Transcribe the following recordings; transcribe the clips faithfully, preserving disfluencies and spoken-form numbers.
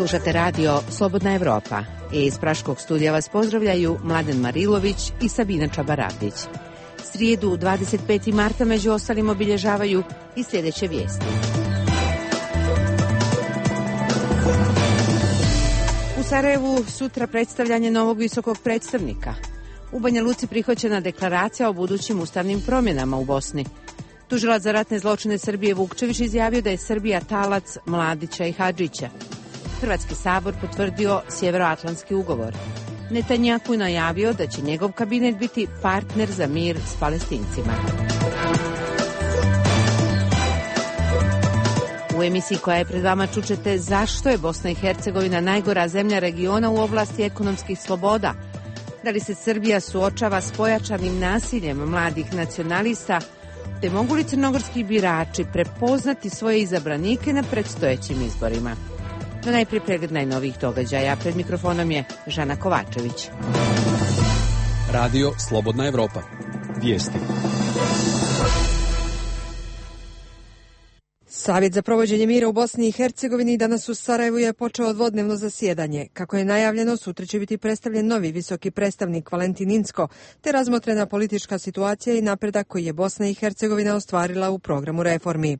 Slušate radio Slobodna Evropa. Iz Praškog studija vas pozdravljaju Mladen Marilović i Sabina Čabarapić. Srijedu dvadeset petog marta među ostalim obilježavaju i sljedeće vijesti. U Sarajevu sutra predstavljanje novog visokog predstavnika. U Banja Luci prihvaćena deklaracija o budućim ustavnim promjenama u Bosni. Tužilac za ratne zločine Srbije Vukčević izjavio da je Srbija talac Mladića i Hadžića. Hrvatski sabor potvrdio Sjevernoatlantski ugovor. Netanjahu najavio da će njegov kabinet biti partner za mir s Palestincima. U emisiji koja je pred vama čućete zašto je Bosna i Hercegovina najgora zemlja regiona u oblasti ekonomskih sloboda. Da li se Srbija suočava s pojačanim nasiljem mladih nacionalista, te mogu li crnogorski birači prepoznati svoje izabranike na predstojećim izborima? No najprije pregled najnovijih događaja. Pred mikrofonom je Žana Kovačević. Radio Slobodna Evropa. Vijesti. Savjet za provođenje mira u Bosni i Hercegovini danas u Sarajevu je počeo dvodnevno zasjedanje. Kako je najavljeno, sutra će biti predstavljen novi visoki predstavnik Valentin Inzko, te razmotrena politička situacija i napredak koji je Bosna i Hercegovina ostvarila u programu reformi.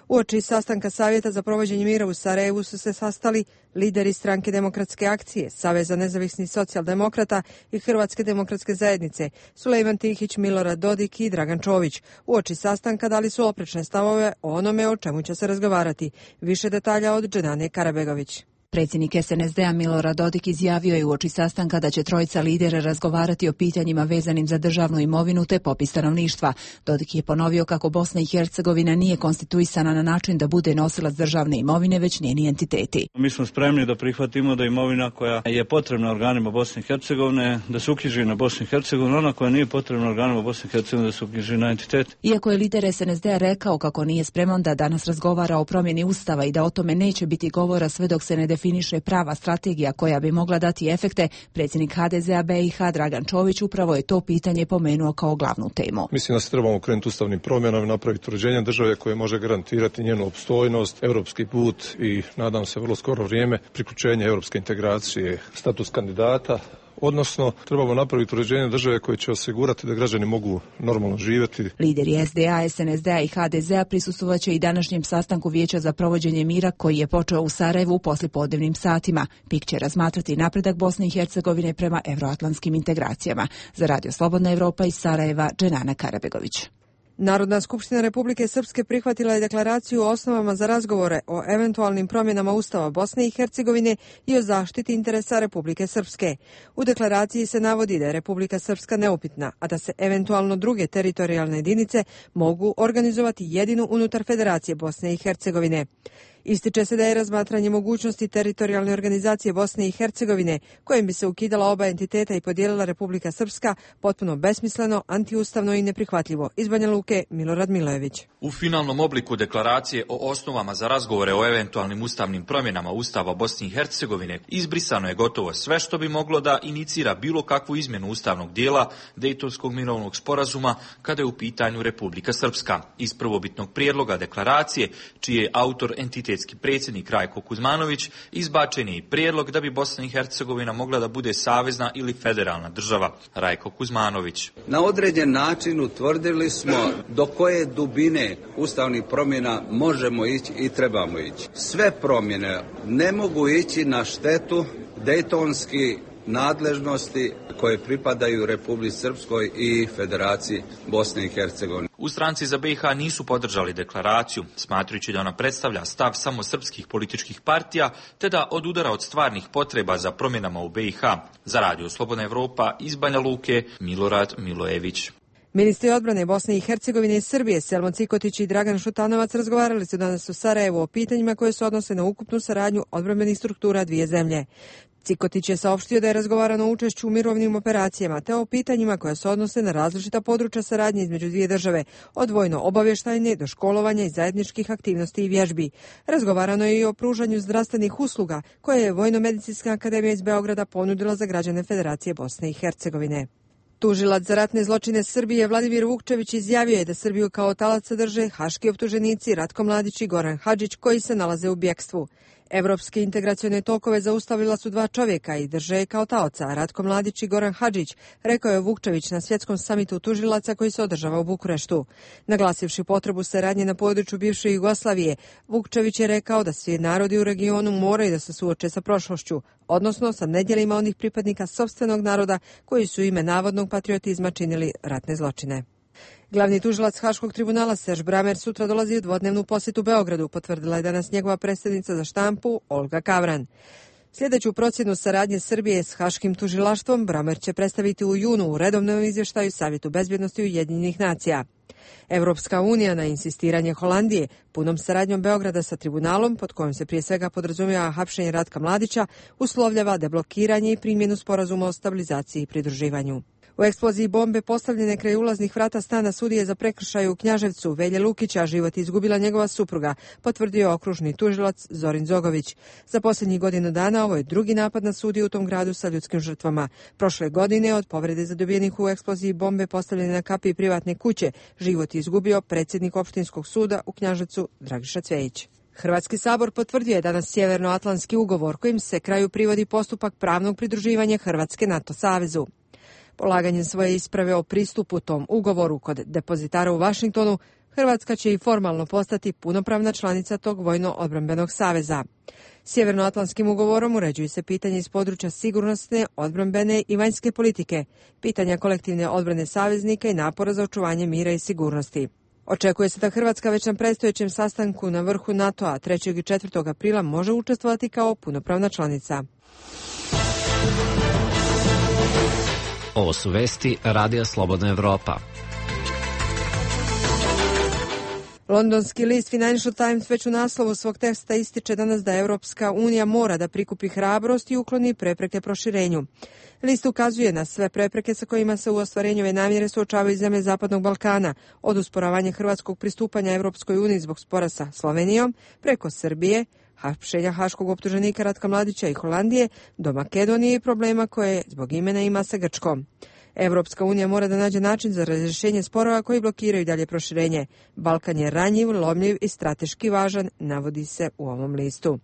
Uoči sastanka Savjeta za provođenje mira u Sarajevu su se sastali lideri Stranke demokratske akcije, Saveza nezavisnih socijaldemokrata i Hrvatske demokratske zajednice, Sulejman Tihić, Milorad Dodik i Dragan Čović. Uoči sastanka dali su oprečne stavove o onome o čemu će se razgovarati. Više detalja od Dženane Karabegović. Predsjednik es en es de a Milorad Dodik izjavio je uoči sastanka da će trojica lidera razgovarati o pitanjima vezanim za državnu imovinu te popis stanovništva. Dodik je ponovio kako Bosna i Hercegovina nije konstituisana na način da bude nosilac državne imovine, već njeni entiteti. Mi smo spremni da prihvatimo da imovina koja je potrebna organima Bosne i Hercegovine da se uknjiži na Bosnu i Hercegovinu, ona koja nije potrebna organima Bosne i Hercegovine da se uknjiži na entitet. Iako je lider es en es de a rekao kako nije spreman da danas razgovara o promjeni ustava i da o tome neće biti govora sve dok se ne definiše prava strategija koja bi mogla dati efekte, predsjednik ha de ze a be i ha Dragan Čović upravo je to pitanje pomenuo kao glavnu temu. Mislim da se trebamo krenuti ustavnim promjenama i napraviti uređenje države koje može garantirati njenu opstojnost, europski put i nadam se vrlo skoro vrijeme priključenje europske integracije, status kandidata. Odnosno, trebamo napraviti uređenje države koje će osigurati da građani mogu normalno živjeti. Lideri es de a, es en es de a i ha de ze a prisustvovat će i današnjem sastanku Vijeća za provođenje mira koji je počeo u Sarajevu u poslijepodnevnim satima. P I K će razmatrati napredak Bosne i Hercegovine prema evroatlantskim integracijama. Za Radio Slobodna Evropa iz Sarajeva, Dženana Karabegović. Narodna skupština Republike Srpske prihvatila je deklaraciju o osnovama za razgovore o eventualnim promjenama Ustava Bosne i Hercegovine i o zaštiti interesa Republike Srpske. U deklaraciji se navodi da je Republika Srpska neupitna, a da se eventualno druge teritorijalne jedinice mogu organizovati jedino unutar Federacije Bosne i Hercegovine. Ističe se da je razmatranje mogućnosti teritorijalne organizacije Bosne i Hercegovine, kojim bi se ukidala oba entiteta i podijelila Republika Srpska, potpuno besmisleno, antiustavno i neprihvatljivo. Iz Banja Luke, Milorad Milojević. U finalnom obliku deklaracije o osnovama za razgovore o eventualnim ustavnim promjenama Ustava Bosne i Hercegovine izbrisano je gotovo sve što bi moglo da inicira bilo kakvu izmjenu ustavnog dijela Dejtonskog mirovnog sporazuma kada je u pitanju Republika Srpska. Iz prvobitnog prijedloga deklaracije, čiji je autor entitet predsjednik Rajko Kuzmanović, izbačen je i prijedlog da bi Bosna i Hercegovina mogla da bude savezna ili federalna država. Rajko Kuzmanović. Na određen način utvrdili smo do koje dubine ustavnih promjena možemo ići i trebamo ići. Sve promjene ne mogu ići na štetu dejtonski nadležnosti koje pripadaju Republici Srpskoj i Federaciji Bosne i Hercegovine. U Stranci za be i ha nisu podržali deklaraciju, smatrajući da ona predstavlja stav samo srpskih političkih partija, te da odudara od stvarnih potreba za promjenama u be i ha. Za Radio Slobodna Evropa iz Banja Luke, Milorad Milojević. Ministri odbrane Bosne i Hercegovine i Srbije Selman Cikotić i Dragan Šutanovac razgovarali su danas u Sarajevu o pitanjima koje se odnose na ukupnu saradnju odbrambenih struktura dvije zemlje. Cikotić je saopštio da je razgovarano o učešću u mirovnim operacijama te o pitanjima koja se odnose na različita područja saradnje između dvije države, od vojno-obavještajne do školovanja i zajedničkih aktivnosti i vježbi. Razgovarano je i o pružanju zdravstvenih usluga koje je Vojno-medicinska akademija iz Beograda ponudila za građane Federacije Bosne i Hercegovine. Tužilac za ratne zločine Srbije Vladimir Vukčević izjavio je da Srbiju kao talac drže haški optuženici Ratko Mladić i Goran Hadžić koji se nalaze u bjekstvu. Evropske integracione tokove zaustavila su dva čovjeka i drže je kao taoca, Ratko Mladić i Goran Hadžić, rekao je Vukčević na svjetskom samitu tužilaca koji se održava u Bukureštu. Naglasivši potrebu saradnje na području bivše Jugoslavije, Vukčević je rekao da svi narodi u regionu moraju da se suoče sa prošlošću, odnosno sa nedjelima onih pripadnika sopstvenog naroda koji su ime navodnog patriotizma činili ratne zločine. Glavni tužilac Haškog tribunala Serž Bramer sutra dolazi u dvodnevnu posjetu Beogradu, potvrdila je danas njegova predsjednica za štampu Olga Kavran. Sljedeću procjenu saradnje Srbije s Haškim tužilaštvom Bramer će predstaviti u junu u redovnom izvještaju Savjetu bezbjednosti Ujedinjenih nacija. Evropska unija na insistiranje Holandije punom saradnjom Beograda sa tribunalom, pod kojom se prije svega podrazumijeva hapšenje Ratka Mladića, uslovljava deblokiranje i primjenu sporazuma o stabilizaciji i pridruživanju. U eksploziji bombe postavljene kraj ulaznih vrata stana sudije za prekršaj u Knjaževcu Velje Lukića život izgubila njegova supruga, potvrdio okružni tužilac Zorin Zogović. Za posljednjih godinu dana ovo je drugi napad na sudiju u tom gradu sa ljudskim žrtvama. Prošle godine od povrede zadobijenih u eksploziji bombe postavljene na kapiji privatne kuće život izgubio predsjednik opštinskog suda u Knjaževcu Dragiša Cvejić. Hrvatski sabor potvrdio je danas Sjevernoatlantski ugovor kojim se kraju privodi postupak pravnog pridruživanja Hrvatske NATO savezu. Polaganjem svoje isprave o pristupu tom ugovoru kod depozitara u Vašingtonu, Hrvatska će i formalno postati punopravna članica tog vojno-odbrambenog saveza. Sjevernoatlantskim ugovorom uređuju se pitanje iz područja sigurnosne, odbrambene i vanjske politike, pitanja kolektivne odbrane saveznika i napora za očuvanje mira i sigurnosti. Očekuje se da Hrvatska već na predstojećem sastanku na vrhu NATO-a trećeg i četvrtog aprila može učestvovati kao punopravna članica. Ovo su vesti Radija Slobodna Evropa. Londonski list Financial Times već u naslovu svog teksta ističe danas da Europska unija mora da prikupi hrabrost i ukloni prepreke proširenju. List ukazuje na sve prepreke sa kojima se u ostvarenju ove namjere suočavaju zemlje Zapadnog Balkana, od usporavanja hrvatskog pristupanja Europskoj uniji zbog spora sa Slovenijom, preko Srbije, hapšenja haškog optuženika Ratka Mladića i Holandije, do Makedonije i problema koje zbog imena ima sa Grčkom. Evropska unija mora da nađe način za razrješenje sporova koji blokiraju dalje proširenje. Balkan je ranjiv, lomljiv i strateški važan, navodi se u ovom listu.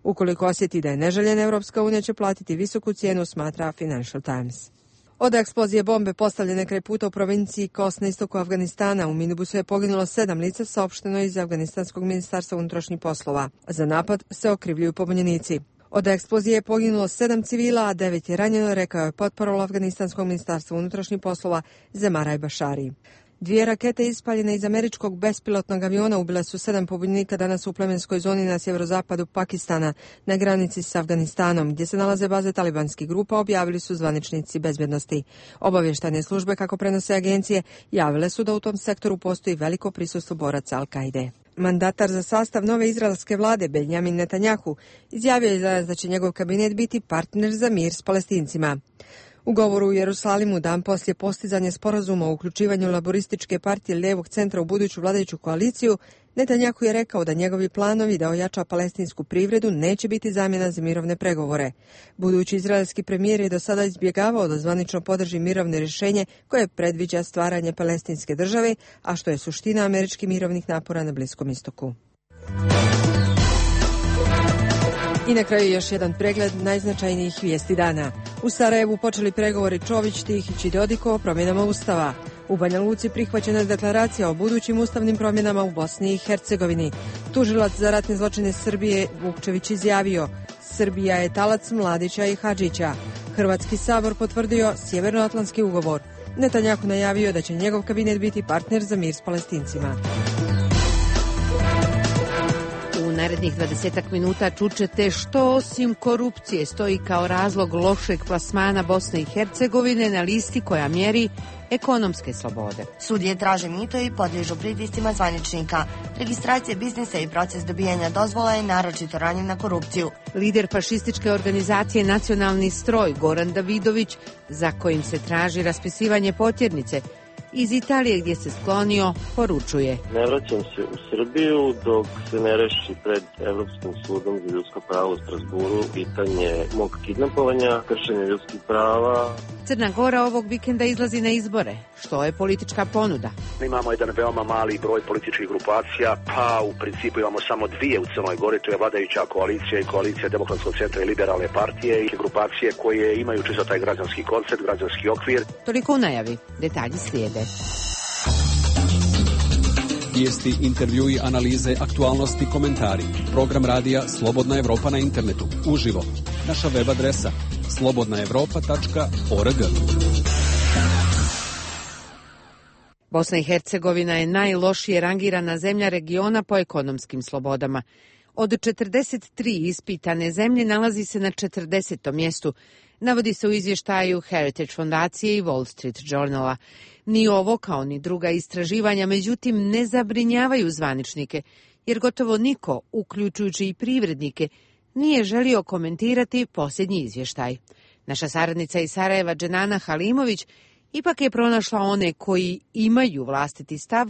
Ukoliko osjeti da je neželjen, Evropska unija će platiti visoku cijenu, smatra Financial Times. Od eksplozije bombe postavljene kraj puta u provinciji Kos na istoku Afganistana u minibusu je poginulo sedam lica, saopšteno iz Afganistanskog ministarstva unutrašnjih poslova. Za napad se okrivljuju pobunjenici. Od eksplozije je poginulo sedam civila, a devet je ranjeno, rekao je potparol Afganistanskog ministarstva unutrašnjih poslova Zemaraj Bašari. Dvije rakete ispaljene iz američkog bespilotnog aviona ubile su sedam pobunjenika danas u plemenskoj zoni na sjeverozapadu Pakistana, na granici s Afganistanom, gdje se nalaze baze talibanskih grupa, objavili su zvaničnici bezbjednosti. Obavještajne službe, kako prenose agencije, javile su da u tom sektoru postoji veliko prisustvo boraca Al-Kaide. Mandatar za sastav nove izraelske vlade, Benjamin Netanjahu, izjavio je danas da će njegov kabinet biti partner za mir s Palestincima. U govoru u Jerusalimu dan poslije postizanja sporazuma o uključivanju laborističke partije lijevog centra u buduću vladajuću koaliciju, Netanjahu je rekao da njegovi planovi da ojača palestinsku privredu neće biti zamjena za mirovne pregovore. Budući izraelski premijer je do sada izbjegavao da zvanično podrži mirovne rješenje koje predviđa stvaranje palestinske države, a što je suština američkih mirovnih napora na Bliskom istoku. I na kraju još jedan pregled najznačajnijih vijesti dana. U Sarajevu počeli pregovori Čović, Tihić i Dodiko o promjenama Ustava. U Banja Luci prihvaćena je deklaracija o budućim ustavnim promjenama u Bosni i Hercegovini. Tužilac za ratne zločine Srbije Vukčević izjavio: Srbija je talac Mladića i Hadžića. Hrvatski sabor potvrdio Sjevernoatlantski ugovor. Netanjahu najavio da će njegov kabinet biti partner za mir s Palestincima. U narednih dvadesetak minuta čućete što osim korupcije stoji kao razlog lošeg plasmana Bosne i Hercegovine na listi koja mjeri ekonomske slobode. Sudije traže mito i podliježu pritiscima zvaničnika. Registracija biznisa i proces dobijanja dozvola je naročito ranjiv na korupciju. Lider fašističke organizacije Nacionalni stroj Goran Davidović, za kojim se traži raspisivanje potjernice, Iz Italije gdje se sklonio poručuje: ne vraćam se u Srbiju dok se ne reši pred Evropskim sudom za ljudska prava u Strasburu pitanje mog kidnapovanja, kršenja ljudskih prava. Crna Gora ovog vikenda izlazi na izbore. Što je politička ponuda? Imamo jedan veoma mali broj političkih grupacija, pa u principu imamo samo dvije u Crnoj Gori, to je vladajuća koalicija i koalicija Demokratskog centra i Liberalne partije i grupacije koje imaju čisto taj građanski koncept, građanski okvir. Toliko u najavi, detalji slijede. Vijesti, intervjui, analize, aktualnosti, komentari. Program radija Slobodna Evropa na internetu. Uživo. Naša web adresa slobodna evropa tačka org. Bosna i Hercegovina je najlošije rangirana zemlja regiona po ekonomskim slobodama. Od četrdeset tri ispitane zemlje nalazi se na četrdesetom mjestu, navodi se u izvještaju Heritage fondacije i Wall Street Journala. Ni ovo kao ni druga istraživanja, međutim, ne zabrinjavaju zvaničnike, jer gotovo niko, uključujući i privrednike, nije želio komentirati posljednji izvještaj. Naša saradnica iz Sarajeva, Dženana Halimović, ipak je pronašla one koji imaju vlastiti stav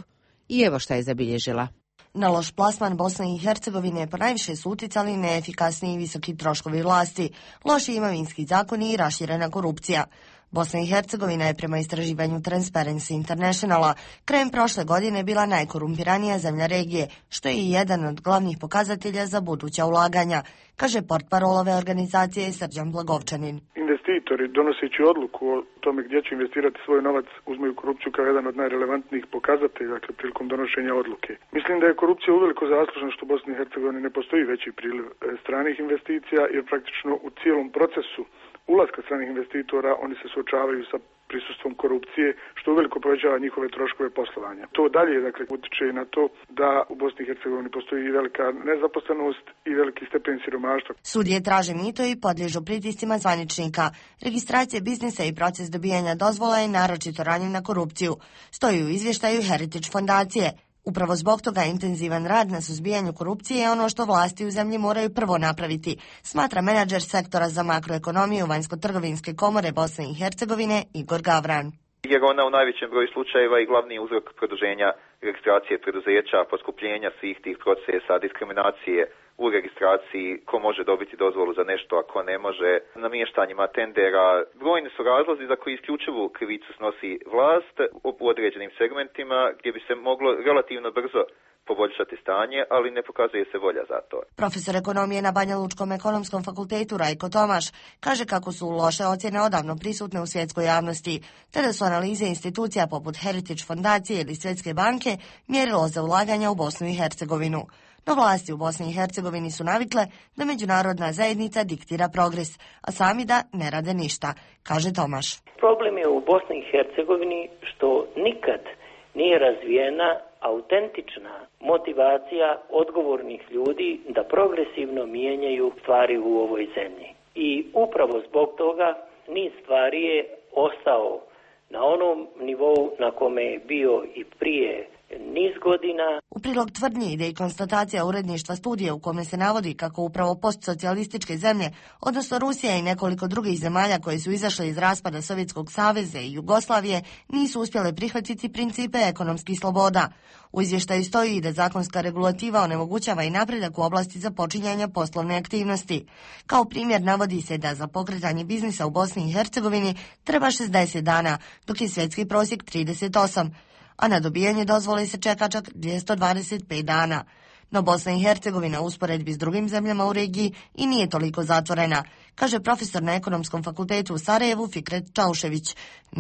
i evo šta je zabilježila. Na loš plasman Bosne i Hercegovine ponajviše su uticali neefikasni i visoki troškovi vlasti, loši imovinski zakoni i raširena korupcija. Bosna i Hercegovina je prema istraživanju Transparency Internationala krajem prošle godine bila najkorumpiranija zemlja regije, što je i jedan od glavnih pokazatelja za buduća ulaganja, kaže portparol ove organizacije Srđan Blagovčanin. Investitori, donoseći odluku o tome gdje će investirati svoj novac, uzmeju korupciju kao jedan od najrelevantnijih pokazatelja, dakle, prilikom donošenja odluke. Mislim da je korupcija uveliko zaslužna što u Bosni i Hercegovini ne postoji veći priliv stranih investicija, jer praktično u cijelom procesu ulaska stranih investitora oni se suočavaju sa prisustvom korupcije, što uveliko povećava njihove troškove poslovanja. To dalje, dakle, utiče na to da u Bosni i Hercegovini postoji i velika nezaposlenost i veliki stepen siromaštva. Sudije traže mito i podliježu pritiscima zvaničnika. Registracija biznisa i proces dobijanja dozvola je naročito ranjiv na korupciju, stoji u izvještaju Heritage fondacije. Upravo zbog toga intenzivan rad na suzbijanju korupcije je ono što vlasti u zemlji moraju prvo napraviti, smatra menadžer sektora za makroekonomiju Vanjsko-trgovinske komore Bosne i Hercegovine Igor Gavran. Jer ona u najvećem broju slučajeva i glavni uzrok produženja registracije preduzeća, poskupljenja svih tih procesa, diskriminacije u registraciji, ko može dobiti dozvolu za nešto, a ko ne može, namještanjima tendera. Brojni su razlozi za koji isključivu krivicu snosi vlast u određenim segmentima gdje bi se moglo relativno brzo poboljšati stanje, ali ne pokazuje se volja za to. Profesor ekonomije na Banja Lučkom ekonomskom fakultetu Rajko Tomaš kaže kako su loše ocjene odavno prisutne u svjetskoj javnosti, te da su analize institucija poput Heritage fondacije ili Svjetske banke mjerilo za ulaganja u Bosnu i Hercegovinu. No vlasti u Bosni i Hercegovini su navikle da međunarodna zajednica diktira progres, a sami da ne rade ništa, kaže Tomaš. Problem je u Bosni i Hercegovini što nikad nije razvijena autentična motivacija odgovornih ljudi da progresivno mijenjaju stvari u ovoj zemlji. I upravo zbog toga niz stvari je ostao na onom nivou na kome je bio i prije niz godina. U prilog tvrdnji ide i konstatacija uredništva studije u kome se navodi kako upravo postsocijalističke zemlje, odnosno Rusija i nekoliko drugih zemalja koje su izašle iz raspada Sovjetskog saveza i Jugoslavije, nisu uspjele prihvatiti principe ekonomskih sloboda. U izvještaju stoji i da zakonska regulativa onemogućava i napredak u oblasti započinjanja poslovne aktivnosti. Kao primjer navodi se da za pokretanje biznisa u Bosni i Hercegovini treba šezdeset dana, dok je svjetski prosjek trideset osam, a na dobijanje dozvole se čeka čak dvjesto dvadeset pet dana. No Bosna i Hercegovina u usporedbi s drugim zemljama u regiji i nije toliko zatvorena, kaže profesor na Ekonomskom fakultetu u Sarajevu Fikret Čaušević,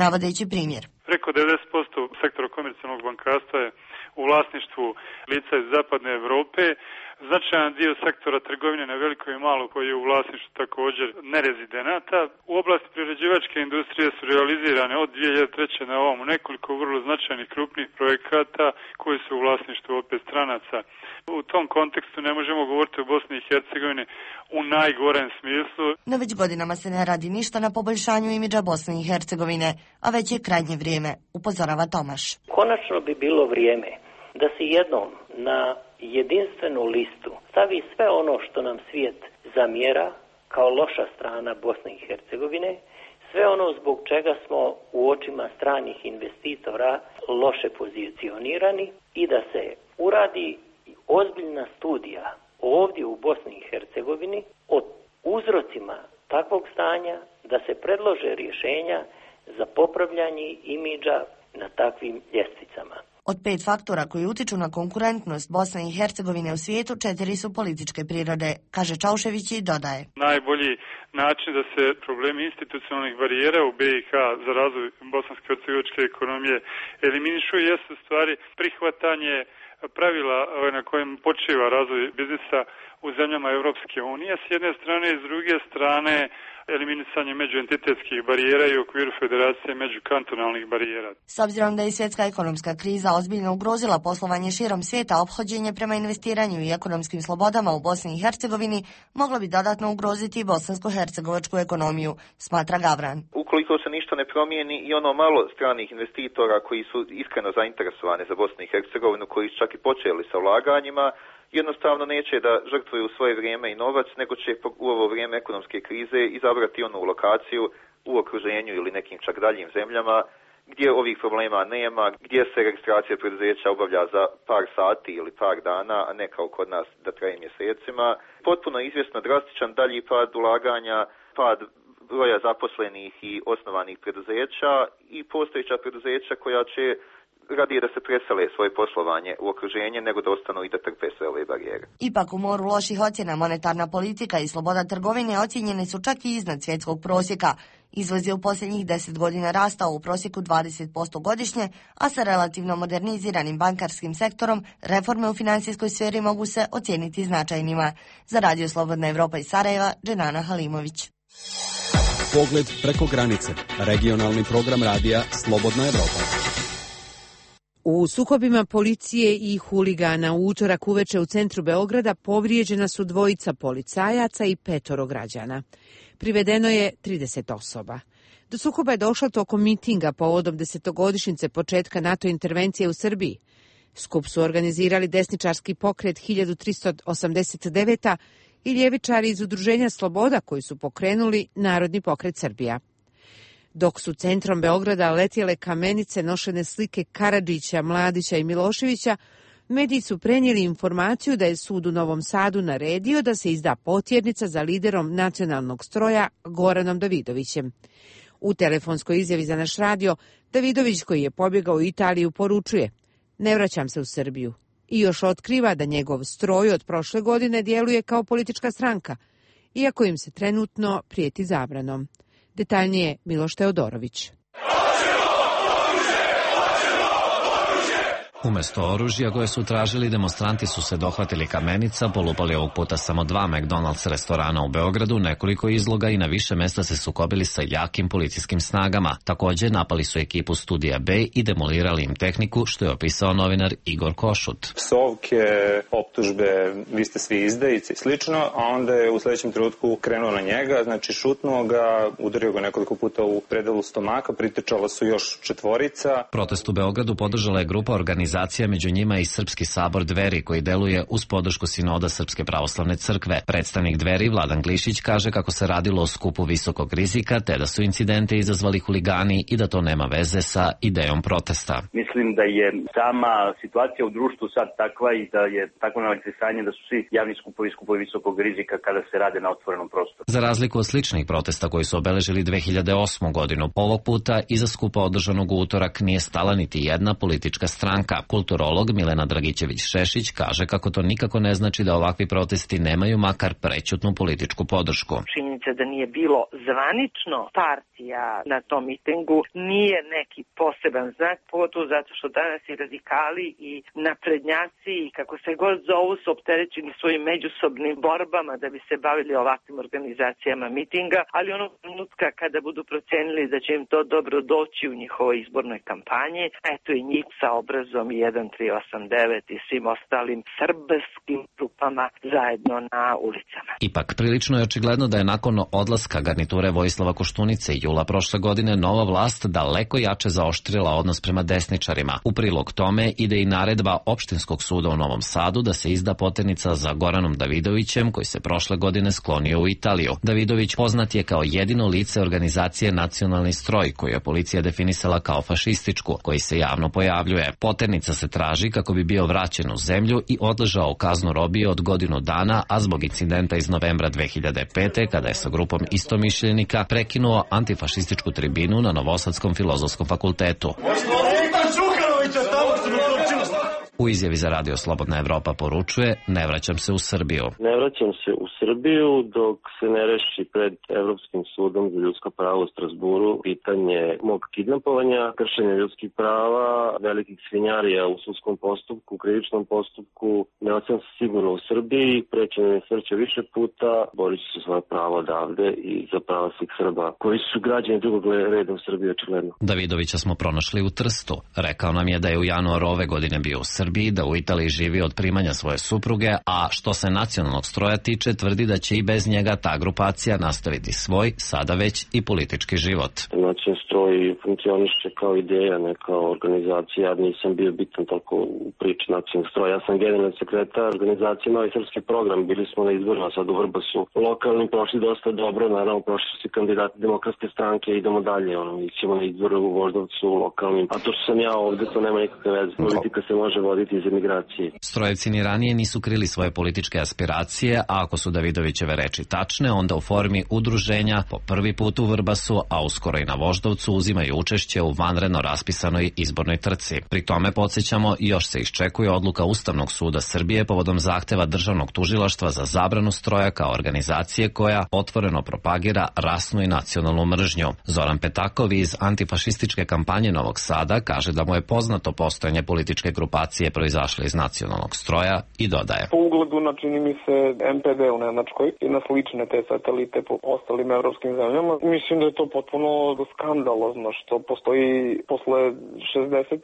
navodeći primjer. Preko devedeset posto sektora komercijalnog bankarstva je u vlasništvu lica iz zapadne Europe. Značajan dio sektora trgovine na veliko i malo koji je u vlasništvu također nerezidenata. U oblasti prerađivačke industrije su realizirane od dvije hiljade treće na ovom nekoliko vrlo značajnih krupnih projekata koji su u vlasništvu opet stranaca. U tom kontekstu ne možemo govoriti o Bosni i Hercegovini u najgorem smislu. No već godinama se ne radi ništa na poboljšanju imidža Bosne i Hercegovine, a već je krajnje vrijeme, upozorava Tomaš. Konačno bi bilo vrijeme da se jednom na jedinstvenu listu stavi sve ono što nam svijet zamjera kao loša strana Bosne i Hercegovine, sve ono zbog čega smo u očima stranih investitora loše pozicionirani i da se uradi ozbiljna studija ovdje u Bosni i Hercegovini o uzrocima takvog stanja, da se predlože rješenja za popravljanje imidža na takvim ljestvicama. Od pet faktora koji utiču na konkurentnost Bosne i Hercegovine u svijetu, četiri su političke prirode, kaže Čaušević i dodaje. Najbolji način da se problemi institucionalnih barijera u B i H za razvoj bosansko-hercegovačke ekonomije eliminišu jesu stvari prihvatanje pravila na kojem počiva razvoj biznisa u zemljama Europske unije s jedne strane i s druge strane eliminisanje međuentitetskih barijera i u okviru federacije međukantonalnih barijera. S obzirom da je svjetska ekonomska kriza ozbiljno ugrozila poslovanje širom svijeta, ophođenje prema investiranju i ekonomskim slobodama u Bosni i Hercegovini moglo bi dodatno ugroziti i bosansko-hercegovačku ekonomiju, smatra Gavran. Ukoliko se ništa ne promijeni i ono malo stranih investitora koji su iskreno zainteresovani za Bosnu i Hercegovinu, koji su čak i počeli sa ulaganjima, jednostavno neće da žrtvuju svoje vrijeme i novac, nego će u ovo vrijeme ekonomske krize izabrati onu lokaciju u okruženju ili nekim čak daljim zemljama gdje ovih problema nema, gdje se registracija preduzeća obavlja za par sati ili par dana, a ne kao kod nas da traje mjesecima. Potpuno izvjesno drastičan dalji pad ulaganja, pad broja zaposlenih i osnovanih preduzeća i postojeća preduzeća koja će radije da se presele svoje poslovanje u okruženje nego da ostanu i da trpe sve ove barijere. Ipak u moru loših ocjena monetarna politika i sloboda trgovine ocjenjene su čak i iznad svjetskog prosjeka. Izvoz je u posljednjih deset godina rastao u prosjeku dvadeset posto godišnje, a sa relativno moderniziranim bankarskim sektorom reforme u financijskoj sferi mogu se ocijeniti značajnima. Za Radio Slobodna Evropa iz Sarajeva, Dženana Halimović. Pogled preko granice. Regionalni program radija Slobodna Evropa. U sukobima policije i huligana u utorak uveče u centru Beograda povrijeđena su dvojica policajaca i petoro građana. Privedeno je trideset osoba. Do sukoba je došlo tokom mitinga povodom desetogodišnjice početka NATO intervencije u Srbiji. Skup su organizirali desničarski pokret hiljadu tristo osamdeset deveta i ljevičari iz Udruženja Sloboda koji su pokrenuli Narodni pokret Srbija. Dok su centrom Beograda letjele kamenice nošene slike Karadžića, Mladića i Miloševića, mediji su prenijeli informaciju da je sud u Novom Sadu naredio da se izda potjernica za liderom nacionalnog stroja Goranom Davidovićem. U telefonskoj izjavi za naš radio, Davidović, koji je pobjegao u Italiju, poručuje: "Ne vraćam se u Srbiju." I još otkriva da njegov stroj od prošle godine djeluje kao politička stranka, iako im se trenutno prijeti zabranom. Detaljnije Miloš Teodorović. Umjesto oružja koje su tražili, demonstranti su se dohvatili kamenica, polupali ovog puta samo dva McDonald's restorana u Beogradu, nekoliko izloga i na više mjesta se sukobili sa jakim policijskim snagama. Također napali su ekipu Studija B i demolirali im tehniku, što je opisao novinar Igor Košut. Psovke, optužbe, vi ste svi izdajici i slično, a onda je u sljedećem trenutku krenuo na njega, znači šutnuo ga, udario ga nekoliko puta u predelu stomaka, pritečala su još četvorica. Protest u Beogradu podržala je grupa organizacija, među njima i Srpski sabor Dveri, koji deluje uz podršku sinoda Srpske pravoslavne crkve. Predstavnik Dveri, Vladan Glišić, kaže kako se radilo o skupu visokog rizika, te da su incidente izazvali huligani i da to nema veze sa idejom protesta. Mislim da je sama situacija u društvu sad takva i da je takvo nalakrisanje da su svi javni skupovi skupovi visokog rizika kada se rade na otvorenom prostoru. Za razliku od sličnih protesta koji su obeležili dve hiljade osmu godinu, ovog puta iza skupa održanog u utorak nije stala niti jedna politička stranka. Kulturolog Milena Dragićević-Šešić kaže kako to nikako ne znači da ovakvi protesti nemaju makar prećutnu političku podršku. Činjenica da nije bilo zvanično partija na tom mitingu nije neki poseban znak, pogotovo zato što danas i radikali i naprednjaci i kako se god zovu su opterećeni svojim međusobnim borbama da bi se bavili ovakvim organizacijama mitinga, ali onog trenutka kada budu procenili da će im to dobro doći u njihovoj izbornoj kampanji, eto i njih sa obrazom i jedan tri osam devet i svim ostalim srbskim grupama zajedno na ulicama. Ipak, prilično je očigledno da je nakon odlaska garniture Vojislava Koštunice jula prošle godine nova vlast daleko jače zaoštrila odnos prema desničarima. U prilog tome ide i naredba Opštinskog suda u Novom Sadu da se izda poternica za Goranom Davidovićem, koji se prošle godine sklonio u Italiju. Davidović poznat je kao jedino lice organizacije Nacionalni stroj, koju je policija definisala kao fašističku, koji se javno pojavljuje. Poternica se traži kako bi bio vraćen u zemlju i odležao kaznu robije od godinu dana, a zbog incidenta iz novembra dve hiljade pete. kada je sa grupom istomišljenika prekinuo antifašističku tribinu na Novosadskom filozofskom fakultetu. U izjavi za Radio Slobodna Evropa poručuje: ne vraćam se u Srbiju. Ne vraćam se u Srbiju dok se ne reši pred Evropskim sudom za ljudska prava u Strasburu pitanje mog kidnapovanja, kršenja ljudskih prava, velikih svinjarija u sudskom postupku, u krivičnom postupku. Ne vraćam se sigurno u Srbiji, prećem me srće više puta, borit ću se svoje pravo odavde i za prava svih Srba koji su građani drugog reda u Srbiji očigledno. Davidovića smo pronašli u Trstu. Rekao nam je da je u januaru ove godine bio u Srbiji, da u Italiji živi od primanja svoje supruge, a što se Nacionalnog stroja tiče, tvrdi da će i bez njega ta grupacija nastaviti svoj, sada već i politički život. Nacionalni stroj funkcioniše kao ideja, ne kao organizacija. Ja nisam bio bitan toliko u priči Nacionalnog stroja. Ja sam generalni sekretar organizacije Novi srpski program. Bili smo na izborima sad u Vrbasu. Lokalnim prošli dosta dobro, naravno prošli su kandidati Demokratske stranke, idemo dalje. Ono, ićemo na izbore u Voždovcu lokalnim. A to što sam ja ovde, to nema nikakve veze. Politika se može voditi iz emigracije. Strojevci ni ranije nisu krili svoje političke aspiracije, a ako su Davidovićeve reči tačne, onda u formi udruženja po prvi put u Vrbasu, a uskoro i na Voždovcu, uzimaju učešće u vanredno raspisanoj izbornoj trci. Pri tome, podsjećamo, još se iščekuje odluka Ustavnog suda Srbije povodom zahteva Državnog tužilaštva za zabranu stroja kao organizacije koja otvoreno propagira rasnu i nacionalnu mržnju. Zoran Petakov iz antifašističke kampanje Novog Sada kaže da mu je poznato postojanje političke grupacije proizašle iz Nacionalnog stroja i dodaje: po ugledu na, čini mi se, em pe de u Nemačkoj i na slične te satelite po ostalim evropskim zemljama, mislim da je to potpuno skandalozno što postoji posle šezdeset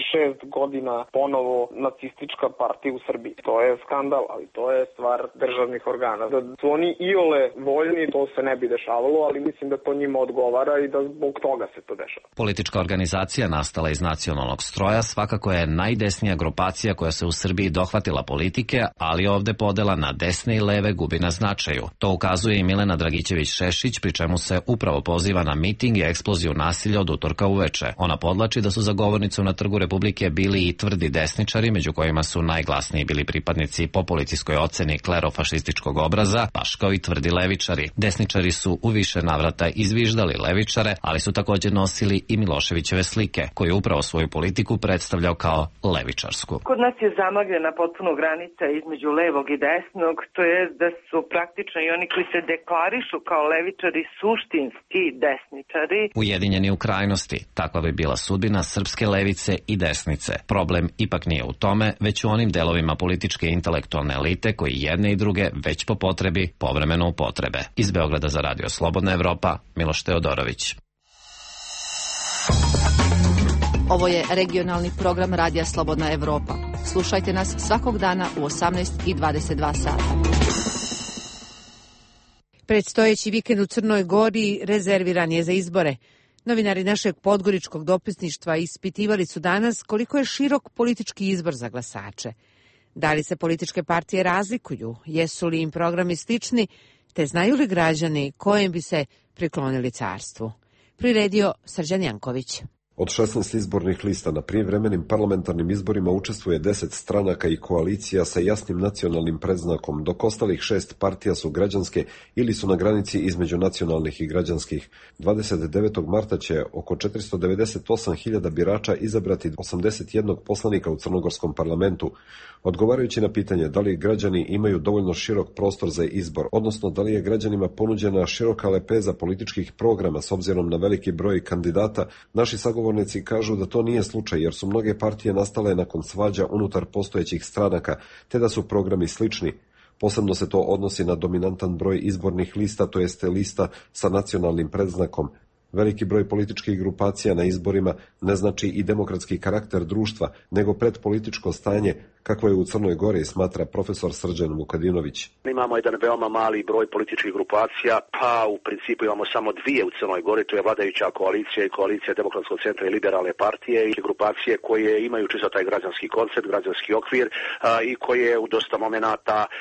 šest godina ponovo nacistička partija u Srbiji. To je skandal, ali to je stvar državnih organa. Da su oni iole voljni, to se ne bi dešavalo, ali mislim da to njima odgovara i da zbog toga se to dešava. Politička organizacija nastala iz Nacionalnog stroja svakako je najdesnija grupacija koja se u Srbiji dohvatila politike, ali ovde podela na desne i leve gubi na značaju. To ukazuje i Milena Dragićević-Šešić, pri čemu se upravo poziva na miting i eksploziju nasilja od utorka uveče. Ona podlači da su za govornicom na Trgu Republike bili i tvrdi desničari, među kojima su najglasniji bili pripadnici po policijskoj oceni klerofašističkog obraza, baš kao i tvrdi levičari. Desničari su u više navrata izviždali levičare, ali su također nosili i Miloševićeve slike, koji upravo svoju politiku predstavljao kao levičarsku. Kod nas je zamagljena potpuno granica između levog i desnog, to je da su praktično i oni koji se deklarišu kao levičari suštinski desničari. Ujedinjeni u krajnosti, takva bi bila sudbina srpske levice i desnice. Problem ipak nije u tome, već u onim delovima političke i intelektualne elite koji jedne i druge već po potrebi povremeno upotrebe. Iz Beograda za Radio Slobodna Evropa, Miloš Teodorović. Ovo je regionalni program Radija Slobodna Evropa. Slušajte nas svakog dana u osamnaest i dvadeset dva sata. Predstojeći vikend u Crnoj Gori rezerviran je za izbore. Novinari našeg podgoričkog dopisništva ispitivali su danas koliko je širok politički izbor za glasače. Da li se političke partije razlikuju, jesu li im programi slični, te znaju li građani kojem bi se priklonili carstvu. Priredio Srđan Janković. Od šesnaest izbornih lista na prijevremenim parlamentarnim izborima učestvuje deset stranaka i koalicija sa jasnim nacionalnim predznakom, dok ostalih šest partija su građanske ili su na granici između nacionalnih i građanskih. dvadeset devetog marta će oko četiristo devedeset osam hiljada birača izabrati osamdeset jednog poslanika u crnogorskom parlamentu. Odgovarajući na pitanje da li građani imaju dovoljno širok prostor za izbor, odnosno da li je građanima ponuđena široka lepeza političkih programa s obzirom na veliki broj kandidata, naši sagovornici kažu da to nije slučaj jer su mnoge partije nastale nakon svađa unutar postojećih stranaka, te da su programi slični. Posebno se to odnosi na dominantan broj izbornih lista, to jeste lista sa nacionalnim predznakom. Veliki broj političkih grupacija na izborima ne znači i demokratski karakter društva, nego predpolitičko stanje, kakvo je u Crnoj Gori, smatra profesor Srđan Vukadinović. Imamo jedan veoma mali broj političkih grupacija, pa u principu imamo samo dvije u Crnoj Gori, to je vladajuća koalicija i koalicija Demokratskog centra i Liberalne partije i grupacije koje imaju čisto taj građanski koncept, građanski okvir a, i koje u dosta momenata e,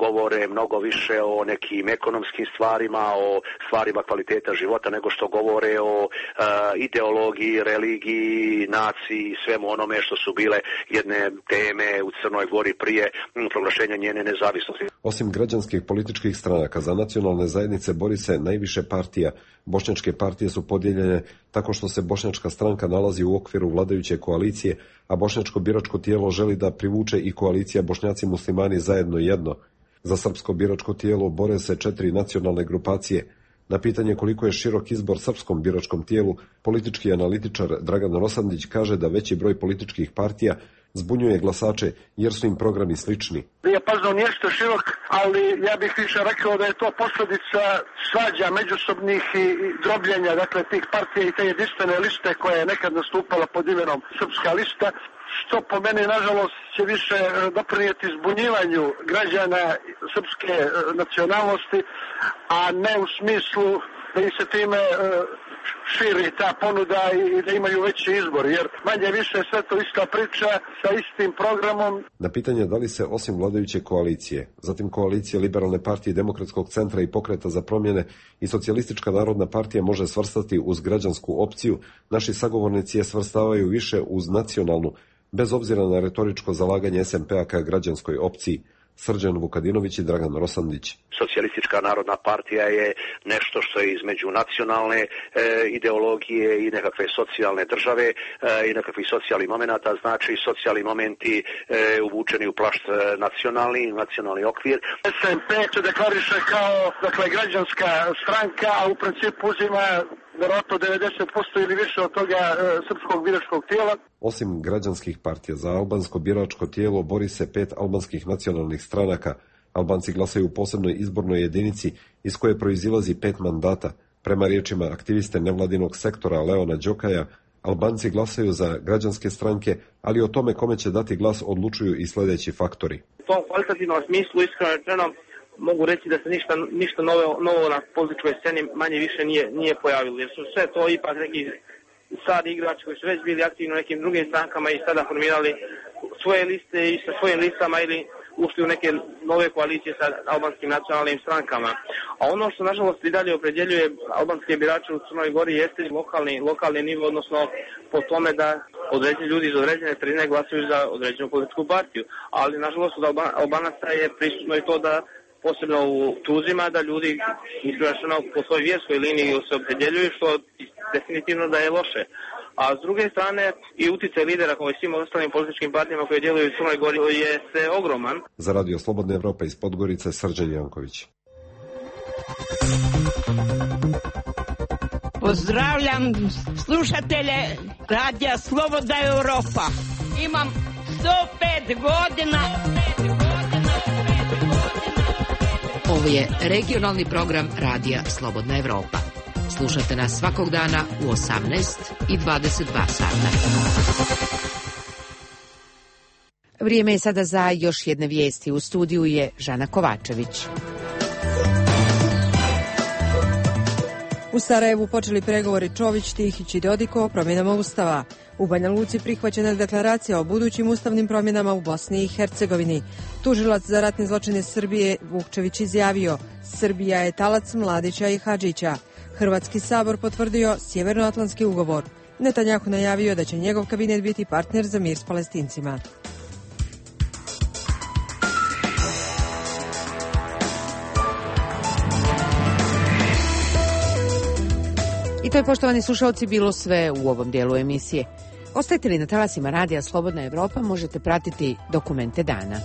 govore mnogo više o nekim ekonomskim stvarima, o stvarima kvaliteta života nego što govore o a, ideologiji, religiji, naciji i svemu onome što su bile jedne teme u Crnoj Gori prije m, proglašenja njene nezavisnosti. Osim građanskih političkih stranaka, za nacionalne zajednice bori se najviše partija. Bošnjačke partije su podijeljene tako što se Bošnjačka stranka nalazi u okviru vladajuće koalicije, a Bošnjačko biračko tijelo želi da privuče i koalicija Bošnjaci muslimani zajedno jedno. Za srpsko biračko tijelo bore se četiri nacionalne grupacije. Na pitanje koliko je širok izbor srpskom biračkom tijelu, politički analitičar Dragan Rosandić kaže da veći broj političkih partija zbunjuje glasače jer su im programi slični. Dijapazon jeste širok, ali ja bih više rekao da je to posljedica svađa međusobnih i drobljenja, dakle tih partija i te jedinstvene liste koja je nekad nastupala pod imenom Srpska lista, što po meni nažalost će više doprinijeti zbunjivanju građana srpske nacionalnosti, a ne u smislu da im se time širi ta ponuda i da imaju veći izbor, jer manje više sve to ista priča sa istim programom. Na pitanje da li se osim vladajuće koalicije, zatim koalicije Liberalne partije Demokratskog centra i Pokreta za promjene i Socijalistička narodna partija može svrstati uz građansku opciju, naši sagovornici je svrstavaju više uz nacionalnu, bez obzira na retoričko zalaganje S N P-a ka građanskoj opciji. Srđan Vukadinović i Dragan Rosandić. Socijalistička narodna partija je nešto što je između nacionalne e, ideologije i nekakve socijalne države e, i nekakvih socijalnih momenata, znači socijalni momenti e, uvučeni u plašt nacionalni, nacionalni okvir. S N P se deklariše kao dakle, građanska stranka, a u principu uzima vjerojatno devedeset posto ili više od toga e, srpskog biračkog tijela. Osim građanskih partija, za albansko biračko tijelo bori se pet albanskih nacionalnih stranaka. Albanci glasaju u posebnoj izbornoj jedinici iz koje proizilazi pet mandata. Prema riječima aktiviste nevladinog sektora Leona Đokaja, Albanci glasaju za građanske stranke, ali o tome kome će dati glas odlučuju i sljedeći faktori. U tom kvalitativnom smislu, iskreno rečeno, mogu reći da se ništa, ništa novo, novo na političkoj sceni manje više nije, nije pojavilo, jer su sve to ipak neki stari igrači koji su već bili aktivni u nekim drugim strankama i sada formirali svoje liste i sa svojim listama ili ušli u neke nove koalicije sa albanskim nacionalnim strankama. A ono što nažalost i dalje opredjeljuje albanske birače u Crnoj Gori jeste lokalni, lokalni nivo, odnosno po tome da određeni ljudi iz određene sredine glasaju za određenu političku partiju. Ali nažalost od Albanaca je prisutno i to da posebno u Tuzima da ljudi iskreno po svojoj vjerskoj liniji se opredjeljuju, što definitivno da je loše. A s druge strane i utjecaj lidera kao i svim ostalim političkim partijama koje djeluju u Crnoj Gori je se ogroman. Za Radio Slobodna Evropa iz Podgorice, Srđan Janković. Pozdravljam slušatelje Radija Slobodna Evropa. Imam sto pet godina. Ovo je regionalni program Radija Slobodna Evropa. Slušajte nas svakog dana u osamnaest i dvadeset dva sata. Vrijeme je sada za još jedne vijesti. U studiju je Žana Kovačević. U Sarajevu počeli pregovori Čović, Tihić i Dodiko o promjenama Ustava. U Banja Luci prihvaćena deklaracija o budućim ustavnim promjenama u Bosni i Hercegovini. Tužilac za ratne zločine Srbije Vukčević izjavio: Srbija je talac Mladića i Hadžića. Hrvatski sabor potvrdio Sjevernoatlantski ugovor. Netanjahu najavio da će njegov kabinet biti partner za mir s Palestincima. I to je, poštovani slušalci, bilo sve u ovom dijelu emisije. Ostajte li na talasima Radija Slobodna Evropa, možete pratiti Dokumente dana.